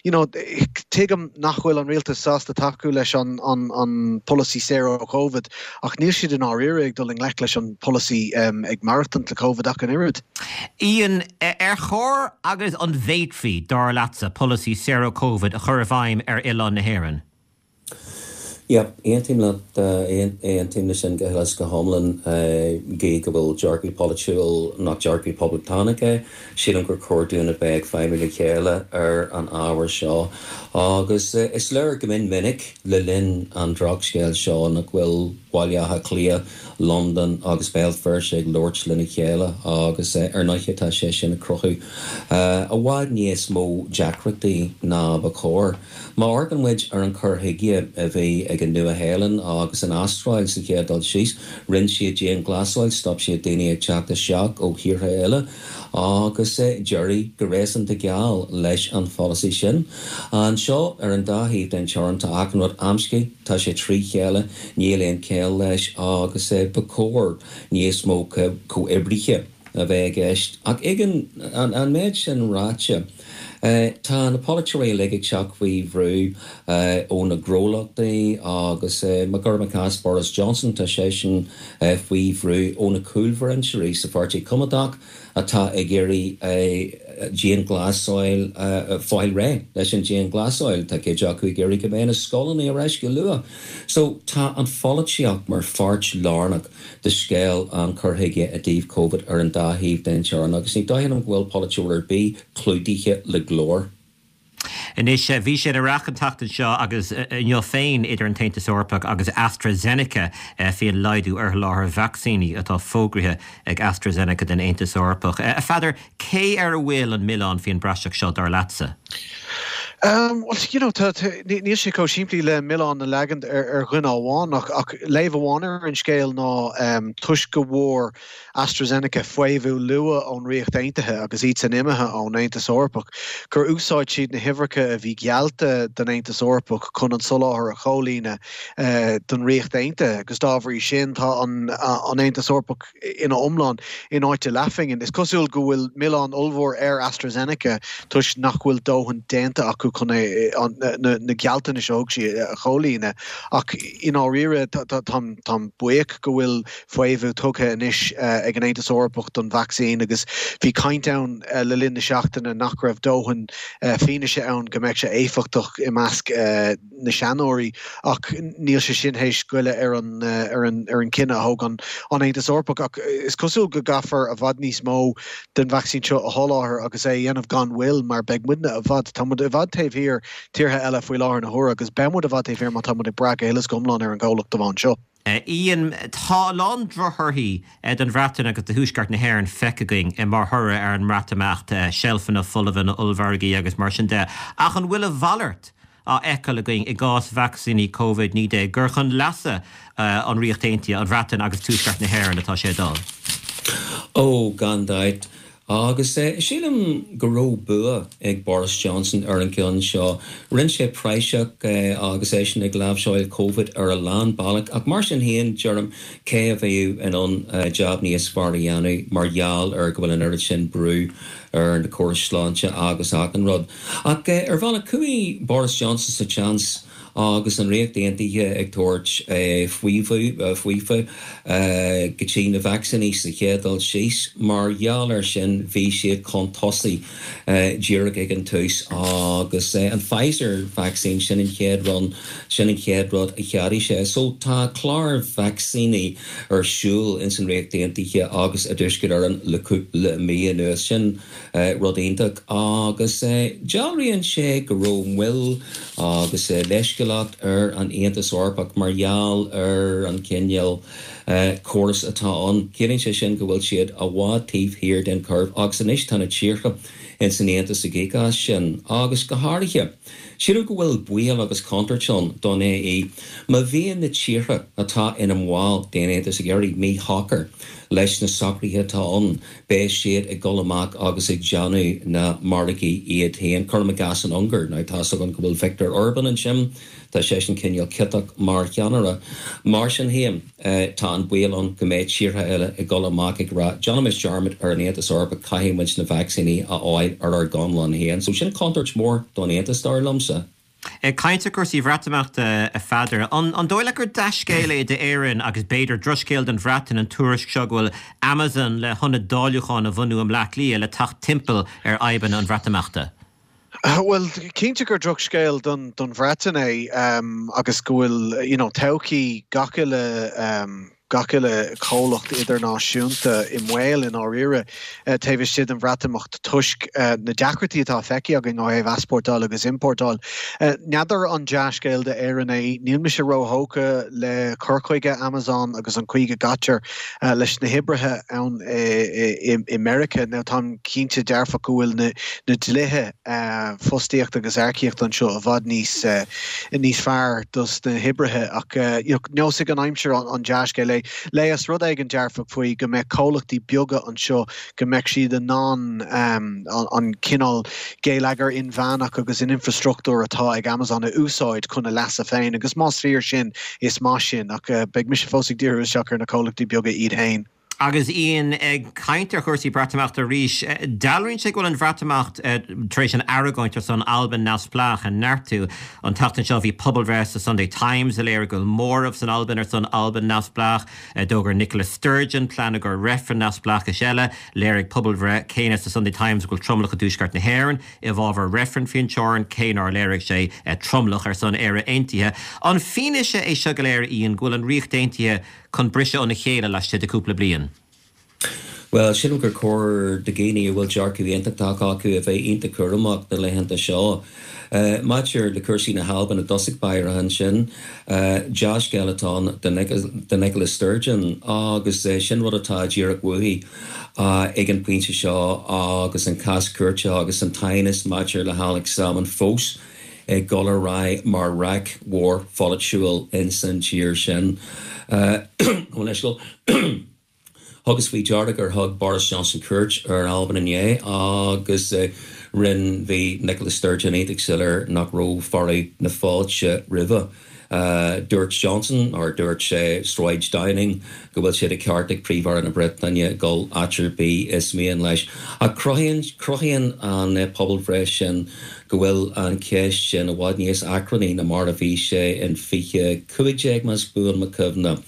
you know, tuigim nach bhfuil an rialtas sásta tacú leis an, an, an polasaí zero COVID ach níl siad in áiríre ag dul i ngleic leis an polasaí um, ag maireachtaint le COVID ach an oiread. Ian ar chóir agus an bhféadfaí dar leatsa polasaí zero COVID a chur i bhfeidhm ar oileán na hÉireann. Ja, aontaím leat aontaím leis sin go huile is go hiomlán gé go bhfuil dearcadh polaitiúil nach dearcadh poblachtánach é, sílim gur chóir dúinn a bheith ag feidhmiú le chéile ar an ábhar seo. Agus is léir go min minic le linn an drochscéil seo nach bhfuil Baile Átha Cliath, London agus Béal Feirste ag labhairt lena chéile agus ar ndóigh tá sé sin ag cruthú. I bhfad níos mó deacrachtaí ná ba chóir. Má amharcann muid ar an chur chuige a bhí ag an Nua-Shéalainn agus an Astráil sa chéad dul síos, rinne siad dianghlasáil, stop siad daoine ag teacht isteach ó thíortha eile agus d'éirigh go réasúnta geal leis an pholasaí sin. Anseo ar an dá thaobh den teorainn tá achan rud amscaí tá sé trí chéile níl aon chéill leis agus ba chóir níos mó comhoibrithe a bheith i gceist. Ach ag an, an, an méid sin ráite, Tá na polaiteoirí uilig ag teacht faoi bhrú ó na gnólachtaí agus má cuirim i gcás Boris Johnson tá seisean faoi bhrú ó na cúlbhinseoirí sa Pháirtí Coimeádach atá ag iarraidh dianghlasáil fáil réidh leis an dianghlasáil tá cuid acu ag iarraidh go mbeidh na scoileanna ar ais go luath. So tá an pholaitíocht mar pháirt lárnach de scéal an chur chuige i dtaobh COVID ar an dá thaobh den teorainn agus ní dóigh liom go bhfuil polaiteoir ar bith clúdaithe le glór. Anois bhí sé ar an tseachtain seo agus inniu féin idir an tAontas Eorpach agus AstraZeneca faoin laghdú ar sholáthar vacsaíní atá fógraithe ag AstraZeneca den Aontas Eorpach. A Pheadair cé ar a bhfuil an milleán faoin bpraiseach seo dar leatsa? Um, well, you know, níl sé chomh simplí le milleán a leagan ar, ar dhuine amháin ach, ach léamh amháin ar an scéal ná um, toisc go bhfuair AstraZeneca faomhadh luath ón Ríocht Aontaithe agus iad san imithe ón Aontas Eorpach, gur úsáid siad na huimhreacha a bhí geallta don Aontas Eorpach chun an soláthar a chomhlíonadh uh, don Ríocht Aontaithe, agus dá bhrí sin tá an, an Aontas Eorpach ina iomlán in áit leathphingin. Is cosúil go bhfuil milleán ollmhór ar AstraZeneca toisc nach bhfuil dóthain déanta acu chun na, na gealltanais a thug siad a chomhlíonadh ach i ndáiríre táim buíoch go bhfuil faomhadh tugtha anois ag an Aontas Eorpach don vacsaín agus bhí caint ann le linn na seachtaine nach raibh dóthain fianaise ann go mbeadh sé éifeachtach i measc na seanóirí ach níl sé sin théis goilleadh ar an ar an ar an cinneadh a thóg an an Aontas Eorpach ach is cosúil go gcaithfear i bhfad níos mó den vacsaín seo a sholáthar agus é a dhéanamh gan mhoill mar beidh muidne i bhfad tá muid i bhfad taobh thiar tíortha eile faoi láthair na huaire agus beidh muid i bhfad taobh thiar má tá muid ag brath go huile is go hiomlán ar an gcomhlacht amháin seo. Ian tá a lán drochthorthaí don Bhreatain agus do Thuaisceart na hÉireann feicthe againn mar thoradh ar an mBreatimeacht seilfeanna folmha na ollmhargaí agus mar sin de ach an bhfuil a mhalairt á fheiceáil againn i gcás vacsaíní COVID naoi déag gur chun leasa an Ríocht Aontaithe, an Bhreatain agus Tuaisceart na hÉireann atá sé dul. Ó gan dabht Agus sílim go raibh bua ag Boris Johnson ar an gceann seo. Rinne sé praiseach agus eisean ag láimhseáil COVID ar a lán bealach ach mar sin féin deirim cé a bheadh in ann jab níos fearr a dhéanamh mar gheall ar go bhfuil an oiread sin brú ar na córais sláinte agus achan rud. Ach ar bhealach chuaigh Boris Johnson sa tseans agus an Ríocht Aontaithe ag tabhairt faofa faofa go dtí na vacsaíní sa chéad dul síos mar gheall ar sin bhí siad chun tosaigh díreach ag an tús agus an Pfizer vaccine sin an chéad rud sin an chéad rud a cheadaigh sé. So tá clár vacsaíní ar siúl ins an Ríocht Aontaithe agus i dTuaisceart Éireann le cúpla mí anuas sin rud iontach agus dealraíonn sé go raibh moill agus leithscéalacht ar an Aontas Eorpach mar gheall ar an cineál córas atá ann. Ciallaíonn sé sin go bhfuil siad i bhfad taobh thiar den curve agus anois tá na tíortha ins an Aontas ag íoc as sin agus go háirithe. Sílim go bhfuil baol agus contúirt ann don AE má bhíonn na tíortha atá ina mbaill den Aontas ag éirí míshocair leis na socruithe atá ann, beidh siad ag dul amach agus ag déanamh na margaí iad féin. Cuirim i gcás an Ungáir, now tá's againn go bhfuil Viktor Orban ansin, tá seisean cineál ciotach mar cheannaire. Mar sin féin, tá an baol ann go mbeidh tíortha eile ag dul amach ag rá, déanaimis dearmad ar an Aontas Eorpach, caithfidh muid na vacsaíní a fháil ar ár gconlán féin. So sin contúirt mhór don Aontas, dar liomsa. Ag caint ar chúrsaí Bhreatimeachta, a Pheadair, an dóigh leat gur dea-scéal é d'Éirinn agus b'fhéidir drochscéal don Bhreatain an tuairisc seo go bhfuil Amazon le hionad dáiliúcháin a bhunú i mBleá Cliath le teacht timpeall ar fhadhbanna an Bhreatimeachta? Bhuel, cinnte gur drochscéal don don Bhreatain é agus go bhfuil you know, todhchaí gach uile gach uile chomhlacht idirnáisiúnta i mbaol i ndáiríre taobh istigh den Bhreatimeacht toisc na deacrachtaí atá feicthe againn ó thaobh easpórtáil agus iompórtáil. N'fheadar an dea-scéal d'Éirinn é, níl mise róthógtha le cur chuige Amazon agus an chaoi go gcaitear leis na hoibrithe ann i Meiriceá. Now táim cinnte dearfach go bhfuil na na dlíthe fostaíochta agus earcaíochta anseo i bhfad níos níos fearr dos na hoibrithe ach neosfaidh an aimsir an dea-scéal é. Leigheas rud éigin dearfach faoi go mbeidh comhlachtaí beaga anseo go mbeidh siad in ann an cineál geilleagar inmheánach agus an infrastruchtúr atá ag Amazon a úsáid chun a leasa féin agus más fíor sin is maith sin ach beidh mise fós ag díriú isteach ar na comhlachtaí beaga iad féin. Agus Ian ag caint ar chúrsaí Breatimeachta arís, dealraíonn sé go bhfuil an Bhreatimeacht tar éis an argóint ar son Albain neamhspleách a neartú. An tseachtain seo bhí pobalbhreith sa Sunday Times a léirigh go bhfuil móramh san Albain ar son Albain neamhspleách. D'fhógair Nicola Sturgeon plean i gcomhair reifreann neamhspleáchais eile. Léirigh pobalbhreith céanna sa Sunday Times go bhfuil tromlach i dTuaisceart na hÉireann i bhfabhar reifreann faoin teorainn, cé nár léirigh sé tromlach ar son Éire Aontaithe. An fianaise é seo go léir, Ian, go bhfuil an Ríocht Aontaithe chun briseadh óna chéile laistigh de cúpla bliain? Bhuel, sílim gur chóir do dhaoine a bhfuil dearcadh aontachtach acu a bheith iontach cúramach na laethanta seo. Maidir le cúrsaí na hAlban i dtosach báire ansin, dea-scéal atá ann do Nicola Sturgeon agus sin rud atá díreach uaithi ag an bpointe seo agus an cás cúirte agus an t-aighneas maidir le Alex Salmond fós ag dul ar aghaidh mar raic mhór pholaitiúil ins an tír sin. Thugas faoi deara gur thug Boris Johnson cuairt ar Albain inné agus rinne bhí Nicola Sturgeon iontach soiléir nach raibh fearadh na fáilte roimhe. Dúirt Johnson, or dúirt sé Sráid Downing, go bhfuil sé de cheart ag Príomh-Aire na Breataine dul áit ar bith is mian leis. Ach cruthaíonn cruthaíonn an pobalbhreith sin go bhfuil an cheist sin i bhfad níos achrannaí ná mar a bhí sé in fiche cúig déag más buan mo chuimhne.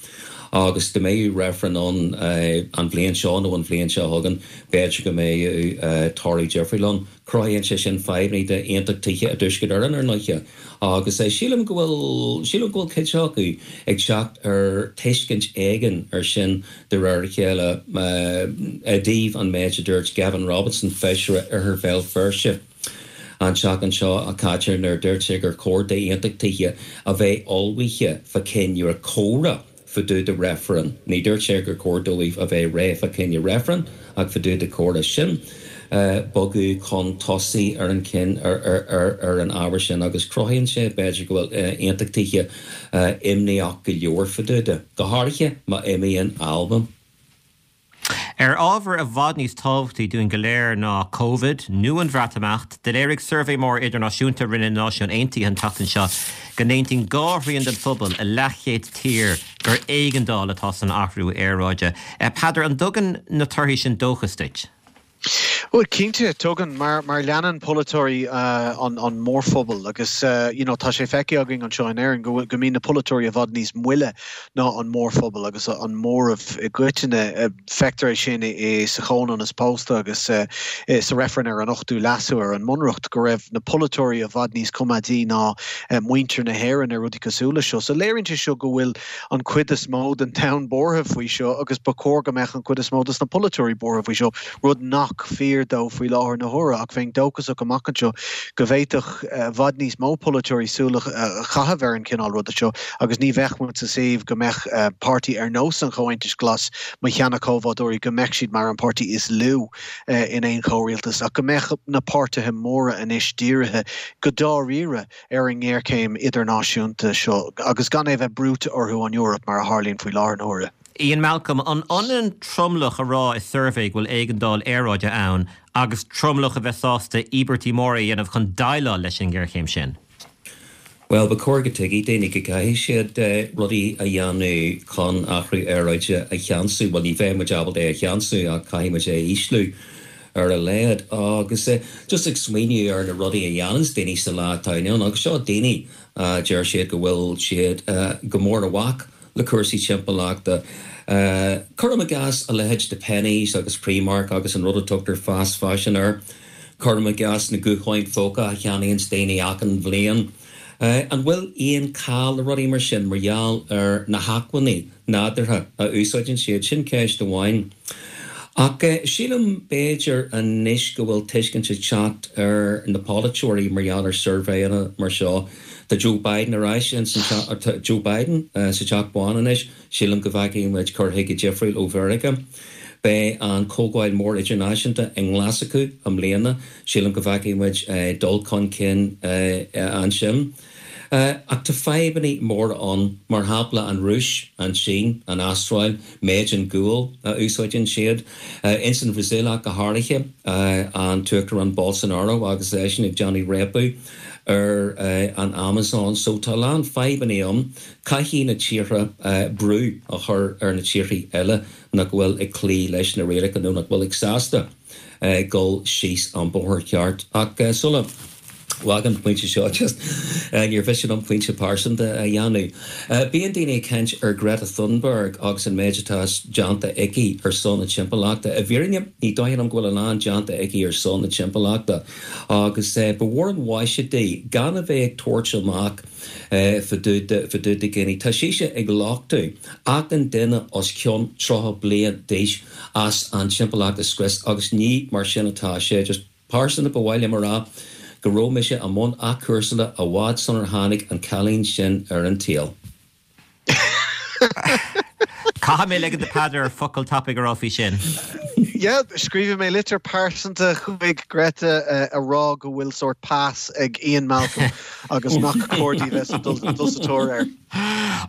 Agus dá mbeadh reifreann ann an bhliain seo nó an bhliain seo chugainn, b'fhéidir go mbeadh toradh difriúil ann. Cruthaíonn sé sin fadhbanna d'aontachtaithe i dTuaisceart Éireann, ar ndóighe. Agus sílim go bhfuil, sílim go bhfuil cuid acu ag teacht ar tuiscint éigin ar sin de réir a chéile i dtaobh an méid a dúirt Gavin Robinson, Feisire Oirthear Bhéal Feirste, an tseachtain seo caite nuair a dúirt sé gur chóir d'aontachtaithe a bheith ullmhaithe fá choinne comhrá fá dtaobh de reifreann. Ní dúirt sé gur chóir dóibh a bheith réidh fá choinne reifreann ach fá dtaobh de comhrá. Sin bogadh chun tosaigh ar an cinn ar an ábhar sin agus cruthaíonn sé b'fhéidir go bhfuil aontachtaithe imníoch go leor fá dtaobh de, go háirithe má imíonn Albain. Ar ábhar i bhfad níos tábhachtaí dúinn go léir ná Covid nó an Bhreatimeacht, do léirigh suirbhé mór idirnáisiúnta a rinne na Náisiúin Aontaithe an tseachtain seo go n-aontaíonn dhá thrian den phobal i leathchéad tír gur éigeandáil atá san athrú aeráide. Peadar, an dtugann na torthaí sin dóchas duit? Bhuel, cinnte, tugann, mar mar leanann polaiteoirí an an mórphobal agus you know tá sé feicthe againn anseo in Éirinn go go mbíonn na polaiteoirí i bhfad níos moille ná an mórphobal agus an móramh i gcoitinne. Feictear é sin i sa chomhionannas pósta agus sa reifreann ar an ochtú leasú ar an mbunreacht go raibh na polaiteoirí i bhfad níos coimeádaí ná muintir na hÉireann ar rudaí cosúil leis seo. So léiríonn sé seo go bhfuil an cuid is mó den domhan buartha faoi seo agus ba chóir go mbeadh an cuid is mó dos na polaiteoirí buartha faoi seo, rud nach fíor dó faoi láthair na huaire, ach bheinn dóchasach amach anseo go bhféadfadh i bhfad níos mó polaiteoirí súil a chaitheamh ar an chineál ruda seo agus ní bheadh muid sa suíomh go mbeadh páirtí ar nós an Chomhaontais Ghlais, mo sheana-chomhbhádóirí, go mbeadh siad mar an páirtí is lú in aon chomhrialtas ach go mbeadh na páirtithe móra anois dírithe go dáiríre ar an ngéarchéim idirnáisiúnta seo agus gan é a bheith brúite orthu ón Eoraip mar a tharlaíonn faoi láthair na huaire. Ian Malcolm, an ionann tromlach a rá i suirbhé go bhfuil éigeandáil aeráide ann agus tromlach a bheith sásta íobairtí móra a dhéanamh chun déileáil leis an ngéarchéim sin? Bhuel, ba chóir go dtuigfeadh daoine go gcaithfidh siad rudaí a dhéanamh chun athrú aeráide a cheansú. Bhuel, ní bheidh muid ábalta é a cheansú ach caithfidh muid é a ísliú ar a laghad. Agus just ag smaoineamh ar na rudaí a dhéananns daoine sa lá atá inniu ann, agus seo daoine a deir siad go bhfuil siad go mór i bhfách le cúrsaí timpeallachta. Cuirim i gcás a leithéid de Penneys agus Primark agus an rud a tugtar fast fashion air. Cuirim i gcás na gutháin phóca a cheannaíonns daoine achan bhliain. An bhfuil aon call le rudaí mar sin mar gheall ar na hacmhainní nádúrtha a úsáideann siad? Sin ceist amháin. Ach sílim b'fhéidir anois go bhfuil tuiscint ag teacht ar na polaiteoirí mar gheall ar suirbhéanna mar seo. Tá Joe Biden ar ais ins an teach, tá Joe Biden sa Teach Bán anois, sílim go bhfeicfidh muid cur chuige difriúil ó Mheiriceá. Beidh an Comhdháil Mór Idirnáisiúnta i nGlaschú i mbliana, sílim go bhfeicfidh muid dul chun cinn ansin. Ach tá fadhbanna móra ann, mar shampla an Rúis, an tSín, an Astráil, méid an guail a úsáideann siad. Ins an Bhrasaíl ach go háirithe, an tUachtarán Bolsonaro agus eisean ag déanamh réabadh ar an Amazon. So tá a lán fadhbanna ann. Caithfidh na tíortha brú a chur ar na tíortha eile nach bhfuil ag cloí leis na rialacha nó nach bhfuil ag sásta dul síos an bóthar ceart. Ach sula bhfágaim an pointe seo, just níor mhiste liom pointe pearsanta a dhéanamh. Bíonn daoine ag caint ar Greta Thunberg agus an méid atá déanta aici ar son na timpeallachta. I bhfírinne, ní dóigh liom go bhfuil a lán déanta aici ar son na timpeallachta agus ba mhór an mhaise di gan a bheith ag tabhairt amach fá dtaobh de dhaoine. Tá sise ag lochtú achan duine os cionn tríocha bliain d'aois as an timpeallacht a scrios agus ní mar sin atá sé. Just pearsanta ba mhaith liom a rá go raibh mise i mbun athchúrsála i bhfad sular tháinig an cailín sin ar an tsaol. Caithfidh mé ligean do Peadar focal tapaidh a rá faoi sin. Yeah, scríobhfaidh mé litir pearsanta chuig Greta a rá go bhfuil sórt pas ag Ian Malcolm agus nach cóir di bheith dul sa tóir air.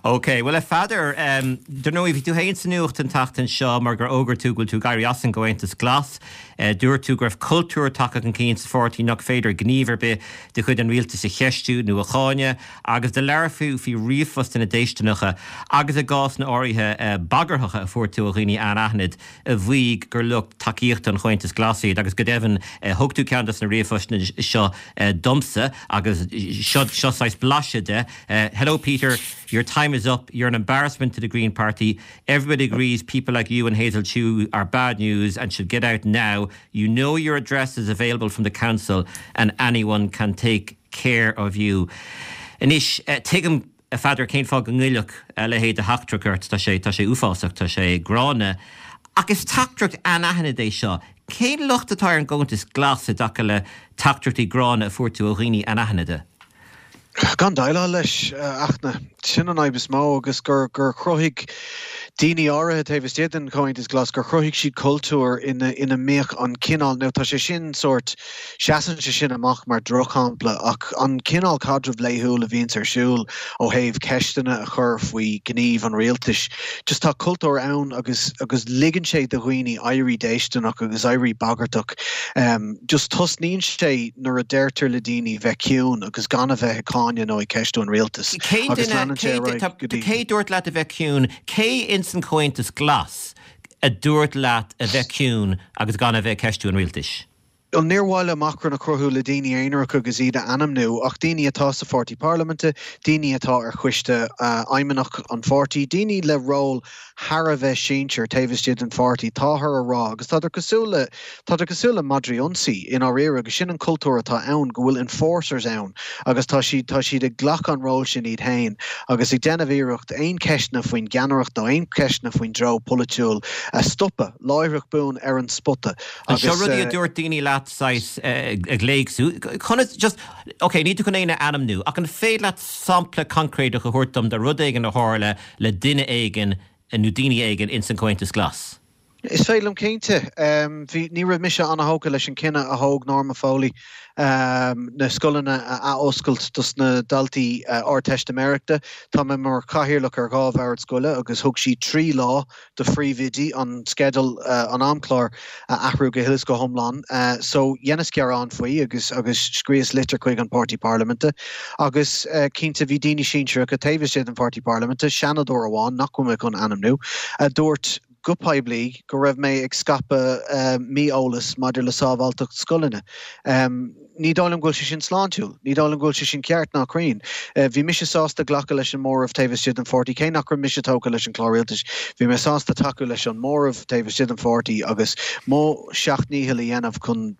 Ok, bhuel a Pheadair, dar ndóigh bhí tú féin sa nuacht an tseachtain seo mar gur fhógair tú go bhfuil tú ag éirí as an gComhaontas Glas. Dúirt tú go raibh cultúr tagtha chun cinn sa pháirtí nach féidir gníomh ar bith de chuid an rialtais a cheistiú nó a cháineadh agus do labhair tú faoi ríomhphostanna déistineacha agus i gcásanna áirithe bagarthacha a fuair tú ó dhaoine anaithnid a mhaígh gur lucht tacaíochta an Chomhaontais Ghlais iad agus go deimhin thug tú ceann de na ríomhphostanna seo domsa agus seo seo saghas blaiseadh de. Hello Peter, your time is up. You're an embarrassment to the Green Party. Everybody agrees people like you and Hazel Chu are bad news and should get out now. You know your address is available from the council and anyone can take care of you. Anois, tuigim a Pheadair cén fáth go ngoillfeadh a leithéid de theachtaireacht ort, tá sé tá sé uafásach, tá sé gránna. Ach is teachtaireacht anaithnid é seo. Cén locht atá ar an gComhaontas Glas i dtaca le teachtaireachtaí gránna a fuair tú ó dhaoine anaithnide? Gan déileáil leis, a Fhachtna. Sin an fhadhb is mó agus gur gur chruthaigh daoine áirithe taobh istigh den Chomhaontas Glas, gur chruthaigh siad cultúr ina ina mbíodh an cineál, now tá sé sin sórt, seasann sé sin amach mar drochshampla ach an cineál caidrimh laethúil a bhíonns ar siúl ó thaobh ceisteanna a chur faoi ghníomh an rialtais, just tá cultúr ann agus agus ligeann sé do dhaoine éirí déistineach agus éirí bagartach. Just tosnaíonn sé nuair a deirtear le daoine bheith ciúin agus gan a bheith ag cáineadh nó ag ceistiú an rialtais Cén agus duine, leanann sé cé ar aghaidh go dtí. cé dúirt leat a bheith ciúin, cé ins an Comhaontas Glas a dúirt leat a bheith ciúin agus gan a bheith ag ceistiú an rialtais? Bhuel, níor mhaith liom achrann a chruthú le daoine aonaracha agus iad a ainmniú, ach daoine atá sa pháirtí parlaiminte, daoine atá ar choiste fheidhmeannach an pháirtí, daoine le ról thar a bheith sinsear taobh istigh den pháirtí, táthar a rá, agus tádar cosúil le, tádar cosúil le madraí ionsaí i ndáiríre, agus sin an cultúr atá ann, go bhfuil enforcers ann agus tá siad, tá siad ag glacadh an ról sin iad féin agus ag déanamh iarracht aon cheisteanna faoin gceannaireacht nó aon cheisteanna faoin dtreo polaitiúil a stopadh láithreach bonn ar an spota. An seo rudaí a dúirt daoine leat saghas ag léagsú? Conas, just, ok, níl tú chun éinne a ainmniú, ach an féidir leat sampla coincréideach a thabhairt dom de rud éigin a tharla le duine éigin nó daoine éigin ins an Comhaontas Glas? Is féidir liom cinnte. Bhí, ní raibh mise an-thógtha leis an cinneadh a thóg Norma Foley na scoileanna a athoscailt dos na daltaí Ardteistiméireachta. Tá mé mar chathaoirleach ar dhá bhord scoile agus thug sí trí lá do phríomhoidí an sceideal, an amchlár a athrú go huile is go hiomlán. So dheineas gearán faoi agus agus scríos litir chuig an Páirtí Parlaiminte agus cinnte bhí daoine sinsearacha taobh istigh den Pháirtí Parlaiminte, Seanadóir amháin nach bhfuil mé chun ainmniú, a dúirt go poiblí go raibh mé ag scaipeadh mí-eolas maidir le sábháilteacht scoileanna. Ní dóigh liom go bhfuil sé sin sláintiúil. Ní dóigh liom go bhfuil sé sin ceart ná cruinn. Bhí mise sásta glacadh leis an móramh taobh istigh den pháirtí, cé nach raibh mise tógtha leis an chlár rialtais. Bhí mé sásta tacú leis an móramh taobh istigh den pháirtí agus mo sheacht ndícheall a dhéanamh chun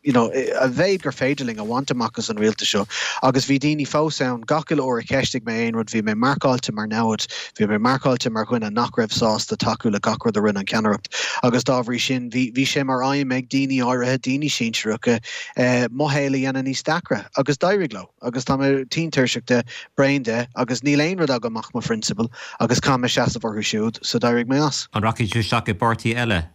you know, a mhéid gur féidir linn a bhaint amach as an rialtas seo. Agus bhí daoine fós ann, gach uile uair a cheistigh mé aon rud, bhí mé marcáilte mar namhaid, bhí mé marcáilte mar dhuine nach raibh sásta tacú le gach rud a rinne an cheannaireacht. Agus dá bhrí sin, bhí, bhí sé mar aidhm ag daoine áirithe, daoine sinsearacha, eh, mo shaol a dhéanamh níos deacra. Agus d'éirigh leo. Agus tá mé tinn tuirseach de, bréan de, agus níl aon rud agam ach mo phrionsabail, agus caithfidh mé seasamh orthu siúd, so d'éirigh mé as. An rachaidh tú isteach i bpáirtí eile?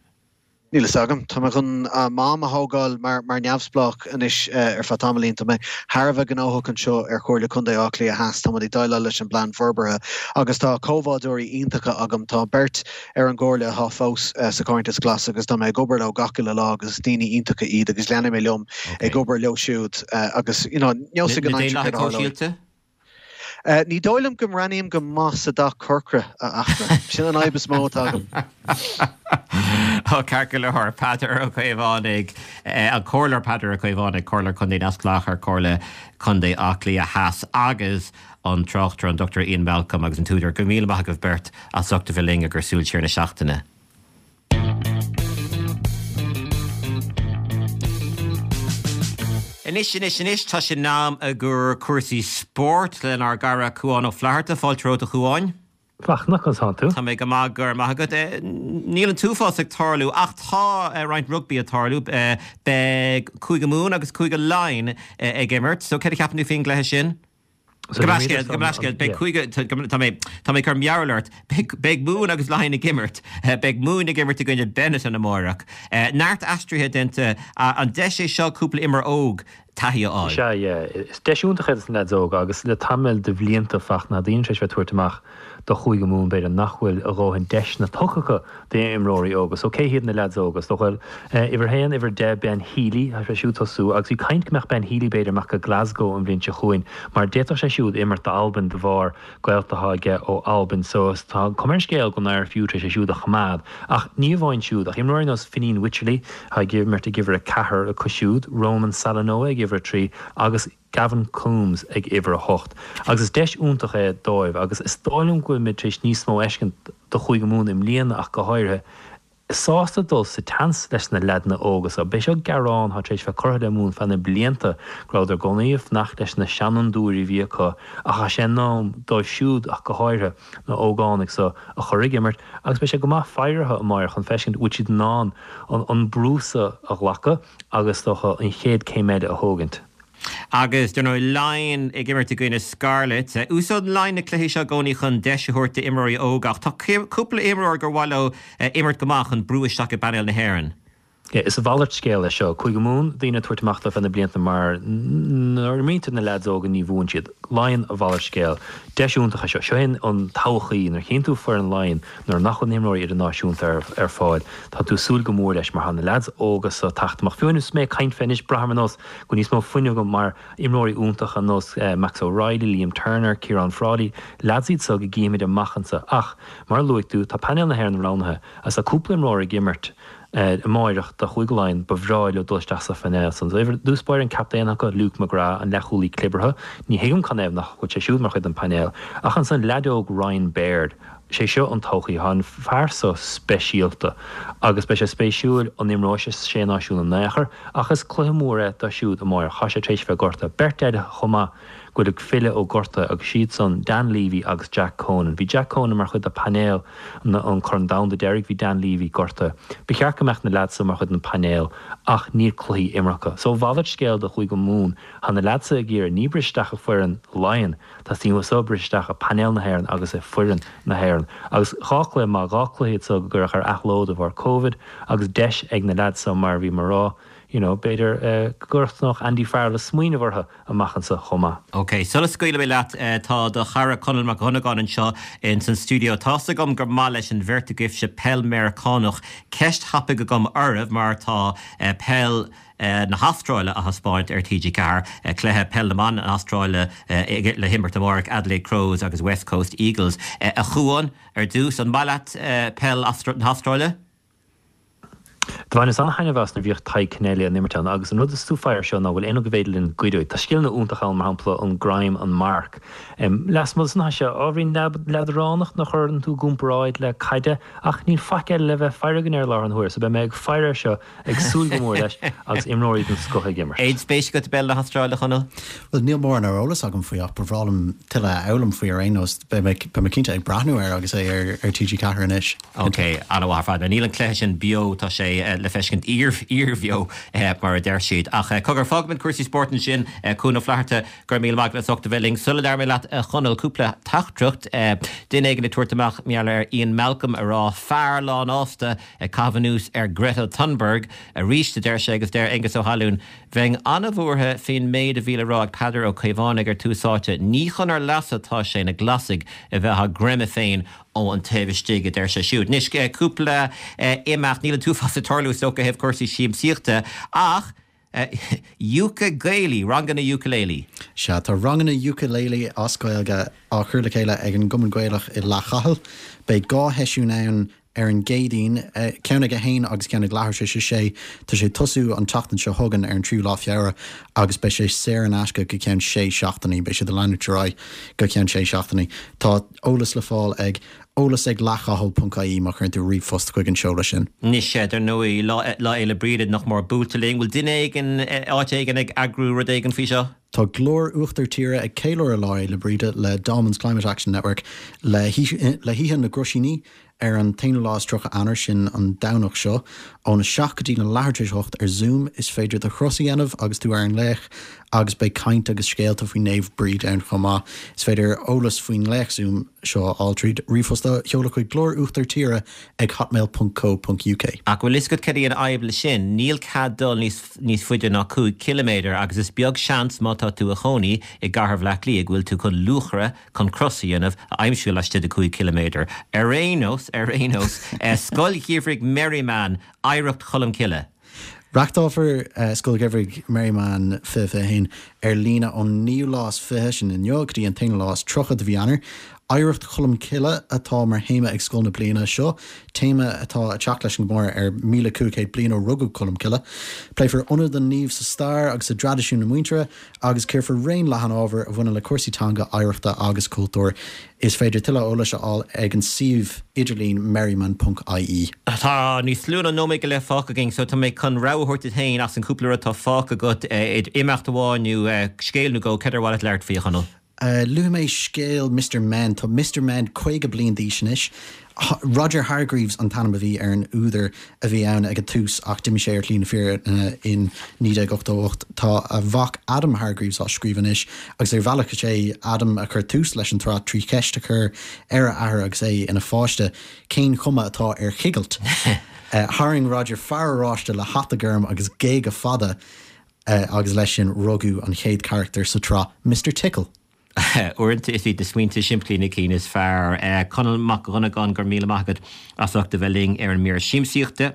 Níl fhios agam. Tá mé chun m'am a thógáil mar neamhspleách anois ar feadh tamaillín. Tá mé thar a bheith gnóthach anseo ar Chomhairle Contae Átha Cliath Theas. Tá muid ag déileáil leis an bplean forbartha agus tá comhbhádóirí iontacha agam. Tá beirt ar an gcomhairle atá fós sa Chomhaontas Glas agus tá mé ag obair leo gach uile lá agus is daoine iontacha iad agus leanfaidh mé liom ag obair leo siúd agus you know, neosfaidh an aimsir céard a tharlóidh. Ní dóigh liom go mbreathnaím go maith sa dath corcra, a Fhachtna. Sin an fhadhb is mó atá agam. Ó, ceart go leor, Peadar Ó Caomhánaigh, an Comhairleoir Peadar Ó Caomhánaigh, Comhairleoir Contae Neamhspleách ar Chomhairle Contae Átha Cliath Theas agus an tráchtaire an Dochtúir Ian Malcolm agus an t-údar. Go raibh míle maith agaibh beirt as ucht a bheith linn ag cur súil siar na seachtaine. Anois, anois, anois, tá sé in am i gcomhair cúrsaí spóirt lenár gcara Cúán Ó Flatharta. Fáilte romhat a Chúáin. Fachtna, conas tánn tú? Tá mé go maith, go raibh maith agat. Níl an t-uafás ag tarlú ach tá roinnt rugbaí ag tarlú. Beidh Cúige Mumhan agus Cúige Laighean ag imirt. So céard a cheapann tú faoin gcluiche sin? Gabh mo leithscéal, gabh mo leithscéal, beidh cúige, tá mé, tá mé ag cur mearbhall ort, beidh, beidh Mumhain agus Laighin ag imirt, beidh Mumhain ag imirt i gcoinne Benetton amárach. Neart aistrithe déanta, an deis é seo cúpla imreoir óg taithí a fháil? Is ea, yeah. Is deis iontach é dos na leaids óga agus le tamall de bhlianta Fachtna, tá daoine tar éis bheith ag tabhairt amach do Chúige Mumhan b'fhéidir nach bhfuil a dhóthain deiseanna tugtha acu d'imreoirí óga. So cé hiad na leaids óga? Is dócha uimhir a haon, uimhir a deich, Ben Healy, tá sé siúd tosú agus bhí caint go mbeadh Ben Healy b'fhéidir amach go Glasgow an bhliain seo chugainn mar d'fhéadfadh sé siúd imirt d'Albain de bharr gaolta atá aige ó Albain. So tá cuma ar an scéal go bhfuil an IRFU tar éis é siúd a choimeád. Ach ní amháin siúd ach imreoirí ar nós Fineen Wycherley atá ag imirt ag uimhir a ceathair acu siúd, Roman Salanoa ag uimhir a trí agus Gavin Coombes ag uimhir a hocht. Agus is deis iontach é dóibh agus is dóigh liom go bhfuil muid tar éis níos mó a fheiscint do Chúige Mumhan i mbliana ach go háirithe, sásta dul sa tseans leis na leaideanna óga so. B'é seo gearán atá tar éis bheith curtha le Mumhain feadh na blianta go rabhadar i gcónaí ag fanacht leis na seanfhondúirí a bhí acu ach tá sé in am dóibh siúd ach go háirithe, na hógánaigh so a chur ag imirt agus beidh sé go maith faire orthu amáireach chun feiscint bhfuil siad in ann an brú so a ghlacadh agus is dócha an chéad céim eile a thógaint. Agus, dar ndóigh, Laighin ag imirt i gcoinne Scarlets. Úsáideann Laighin na cluichí seo i gcónaí chun deis a thabhairt d'imreoirí óga ach tá cúpla imreoir gur mhaith leo imirt go maith chun brú isteach i bpainéal na hÉireann. Is a mhalairt scéil é seo. Cúige Mumhan, daoine ag tabhairt amach dóibh feadh na blianta mar nuair a imríonn tú na leaids óga ní bhuann siad. Laighin a mhalairt scéil. Deis iontach é seo. Seo é an todhchaí. Nuair a chíonn tú foireann Laighean nuair nach bhfuil na himreoirí idirnáisiúnta ar fáil, tá tú ag súil go mór leis mar tá na leaids óga so ag teacht amach. Fiú anois is mé ag caint fé anois, braithim ar nós go bhfuil níos mó fuinnimh agam mar imreoirí iontacha ar nós Max O'Reilly, Liam Turner, Ciarán Frawley, leaids iad so go gcífimid amach anseo. Ach, mar a luaigh tú, tá painéal na hÉireann roghnaithe agus tá cúpla imreoir ag imirt Amáireach do Chúige Laighean, ba bhreá leo dul isteach sa phainéal san. So i dtús báire an captaen acu, Luke McGrath, an leathchúlaí clibeartha, ní thuigim canathaobh nach bhfuil sé siúd mar chuid den phainéal. Ach ansan leaid óg Ryan Baird, sé seo an todhchaí, tá an fear so speisialta agus beidh sé spéisiúil an imreoidh sé sa Sé Náisiún in aon chor ach is cluiche mór é dó siúd amáireach. Tá sé tar éis bheith gortaithe. Beirt eile chomh maith go bhfuil ag filleadh ó ghortuithe agus siad san Dan Leavy agus Jack Conan. Bhí Jack Conan mar chuid de phainéal an Corn Domhanda deiridh, bhí Dan Leavy gortaithe. Ba cheart go mbeadh na leaids so mar chuid den phainéal ach níl cluichí imeartha acu. So a mhalairt scéil do Chúige Mumhan, tá na leaids so ag iarraidh ní briseadh isteach i foireann Laighean, teastaíonn uathu so briseadh isteach i painéal na hÉireann agus i foireann na hÉireann. Agus dhá chluiche maith, dhá chluiche iad so go gcuireadh ar athló de bharr Covid agus deis ag na leaids so mar a bhí mé a rá, you know, b'fhéidir go dtosnódh Andy Farrell ag smaoineamh orthu amach anseo chomh maith. Ok, sula scaoilfidh mé leat, tá do chara Conall Mac Dhonnagáin anseo ins an stiúideo. Tá's agam gur maith leis an bheirt agaibhse peil Meiriceánach. Ceist thapaidh agam oraibh mar tá peil na hAstráile á thaispeáint ar T G ceathair, cluiche peil na mban na hAstráile le himirt amárach, Adelaide Crows agus West Coast Eagles. A Chuáin, ar dtús, an maith leat peil na hAstráile? Do bhaineas an-thaitneamh as nuair a bhíodh Tadhg Kennelly ag imirt ann agus an rud is tú faire seo ná bhfuil aon rud go bhféidir linn goid uaidh. Tá scileanna iontacha ann, mar shampla an greim, an marc. Lasmuigh de san tá sé ábhairín leadránach nuair a chuireann tú i gcomparáid le caide ach níl faic eile le bheith faire againn air i láthair na huaire so beidh mé ag faire air seo ag súil go mór leis agus imreoirí den scoth ag imirt. Aon spéis agat i bpeil na hAstráile, a Chonaill? Bhuel, níl mórán ar eolas agam faoi ach ba bhreá liom tuilleadh a fhoghlaim faoi ar aon nós. Beidh mé beidh mé cinnte ag breathnú air agus é ar ar T G ceathair anois. Ok, an-mhaith ar fad. Níl an cluiche sin beo, tá sé le feiscint iarbheo, mar a deir siad. Ach cogar, fágfaimid cúrsaí spóirt ansin. Cuan Ó Flatharta, go raibh míle maith agat as ucht a bheith linn. Sula labhraíonn mé leat, a Chonaill, cúpla teachtaireacht. Duine éigin ag tabhairt amach mar gheall ar Ian Malcolm a rá, fear lánfhásta ag caitheamh anuas ar Greta Thunberg arís, a deir sé, agus deir Aengus Ó hAlúin, Bheinn an-bhuartha faoin méid a bhí le rá ag Peadar Ó Caomhánaigh ar Tús Áite. Ní chun ár leasa atá sé na Glasaigh a bheith á gcreimeadh féin ó an taobh istigh, a deir sé siúd. Anois, cúpla imeacht, níl an t-uafás ag tarlú is dócha ó thaobh cúrsaí siamsaíochta, ach Uke Gaelaí, ranganna ukulele. Sea, tá ranganna ukulele as Gaeilge á chur le chéile ag an gCumann Gaelach i Leath Chathail. Beidh dhá sheisiún ann ar an gCéadaoin, ceann ag a haon agus ceann ag leathuair tar éis a sé. Tá sé ag tosú an tseachtain seo chugainn ar an tríú lá Feabhra agus beidh sé saor in aisce go ceann sé seachtainí. Beidh siad ag leanúint ar aghaidh go ceann sé seachtainí. Tá eolas le fáil ag eolas ag leathchathail ponc ie má chuireann tú ríomhphost chuig an seoladh sin. Anois, dar ndóigh, Lá Fhéile Bríde nach mór buailte linn. Bhfuil duine éigin, áit éigin ag eagrú rud éigin faoi seo? Tá Glór Uachtar Tíre ag ceiliúradh Lá Fhéile Bríde le Dolmens Climate Action Network le hOíche na gCroisíní ar an t-aonú lá is tríocha Eanáir, sin an Domhnach seo, óna seacht go dtí na leathuair tar éis a hocht ar Zoom. Is féidir do chros a dhéanamh agus tú ar an nglaoch agus beidh caint agus scéalta faoi Naomh Bríd ann chomh maith. Is féidir eolas faoin nglaoch Zoom seo a fháil tríd ríomhphost a sheoladh chuig Glór Uachtar Tíre ag hotmail ponc co ponc uk. Ach bhfuil fhios agat cad í an fhadhb leis sin? Níl cead dul níos níos faide ná cúig ciliméadar agus is beag seans má tá tú i chónaí i gcathair Bhaile Átha Cliath go bhfuil tú chun luachaire chun cros a dhéanamh a aimsiú laistigh de cúig ciliméadar. Ar aon nós, ar aon nós, Scoil Gheimhridh Merriman, Oidhreacht Cholm Cille. Reáchtálfar Scoil Gheimhridh Merriman fiche fiche haon ar líne ón naoú lá is fiche, sin inniu, go dtí an t-aonú lá is tríocha de mhí Eanáir. Oidhreacht Cholm Cille atá mar théama ag scoil na bliana seo, téama atá ag teacht leis an gcomóradh ar míle cúig chéad bliain ó rugadh Colm Cille. Pléifear ionad an naoimh sa stair agus i dtraidisiún na muintire agus cíorfar raon leathan ábhar a bhaineann le cúrsaí teanga, oidhreachta agus cultúir. Is féidir tuilleadh eolais a fháil ag an suíomh idirlín merriman ponc ie. Tá níos lú ná nóiméad go leith fágtha againn so tá mé chun rogha a thabhairt duit féin as an cúpla rud atá fágtha agat, idir imeacht amháin nó scéal nó dhó, cad ar mhaith leat labhairt faoi, a Chonaill? Luafaidh mé scéal Mister Men. Tá Mister Men caoga bliain d'aois anois. Roger Hargreaves an t-ainm a bhí ar an údar a bhí ann ag an tús ach d'imigh sé ar shlí na fírinne in naoi déag ochtó a hocht. Tá a mhac Adam Hargreaves á scríobh anois agus ar bhealach is é Adam a chuir tús leis an tsraith trí cheist a chur ar a athair agus é ina pháiste, cén chuma atá ar chigilt? Tharraing Roger fear oráiste le hata gorm agus géaga fada agus leis sin rugadh an chéad charachtar sa tsraith, Mister Tickle. Uaireanta is iad na smaointe simplí na cinn is fearr. Conall Mac Dhonnagáin, go raibh míle maith agat as ucht a bheith linn ar an mír siamsaíochta.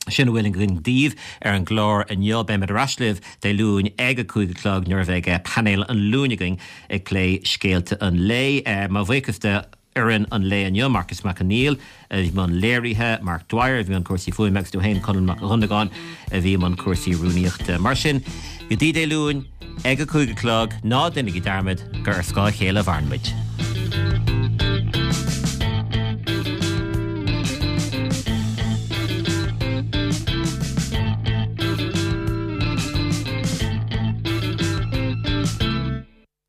Sin a bhfuil againn daoibh ar an gclár inniu. Beimid ar ais libh Dé Luain ag a cúig a chlog nuair a bheidh painéal an Luain againn ag plé scéalta an lae. Mo bhuíochas do fhoireann an lae inniu, Marcus Mac Conghail a bhí i mbun léirithe, Mark Dwyer a bhí i mbun cúrsaí fuaime agus dom féin Conall Mac Dhonnagáin a bhí i mbun cúrsaí rúnaíochta. Mar sin, go dtí Dé Luain ag a cúig a chlog, ná déanaigí dearmad gur ar scáth a chéile a mhaireann muid.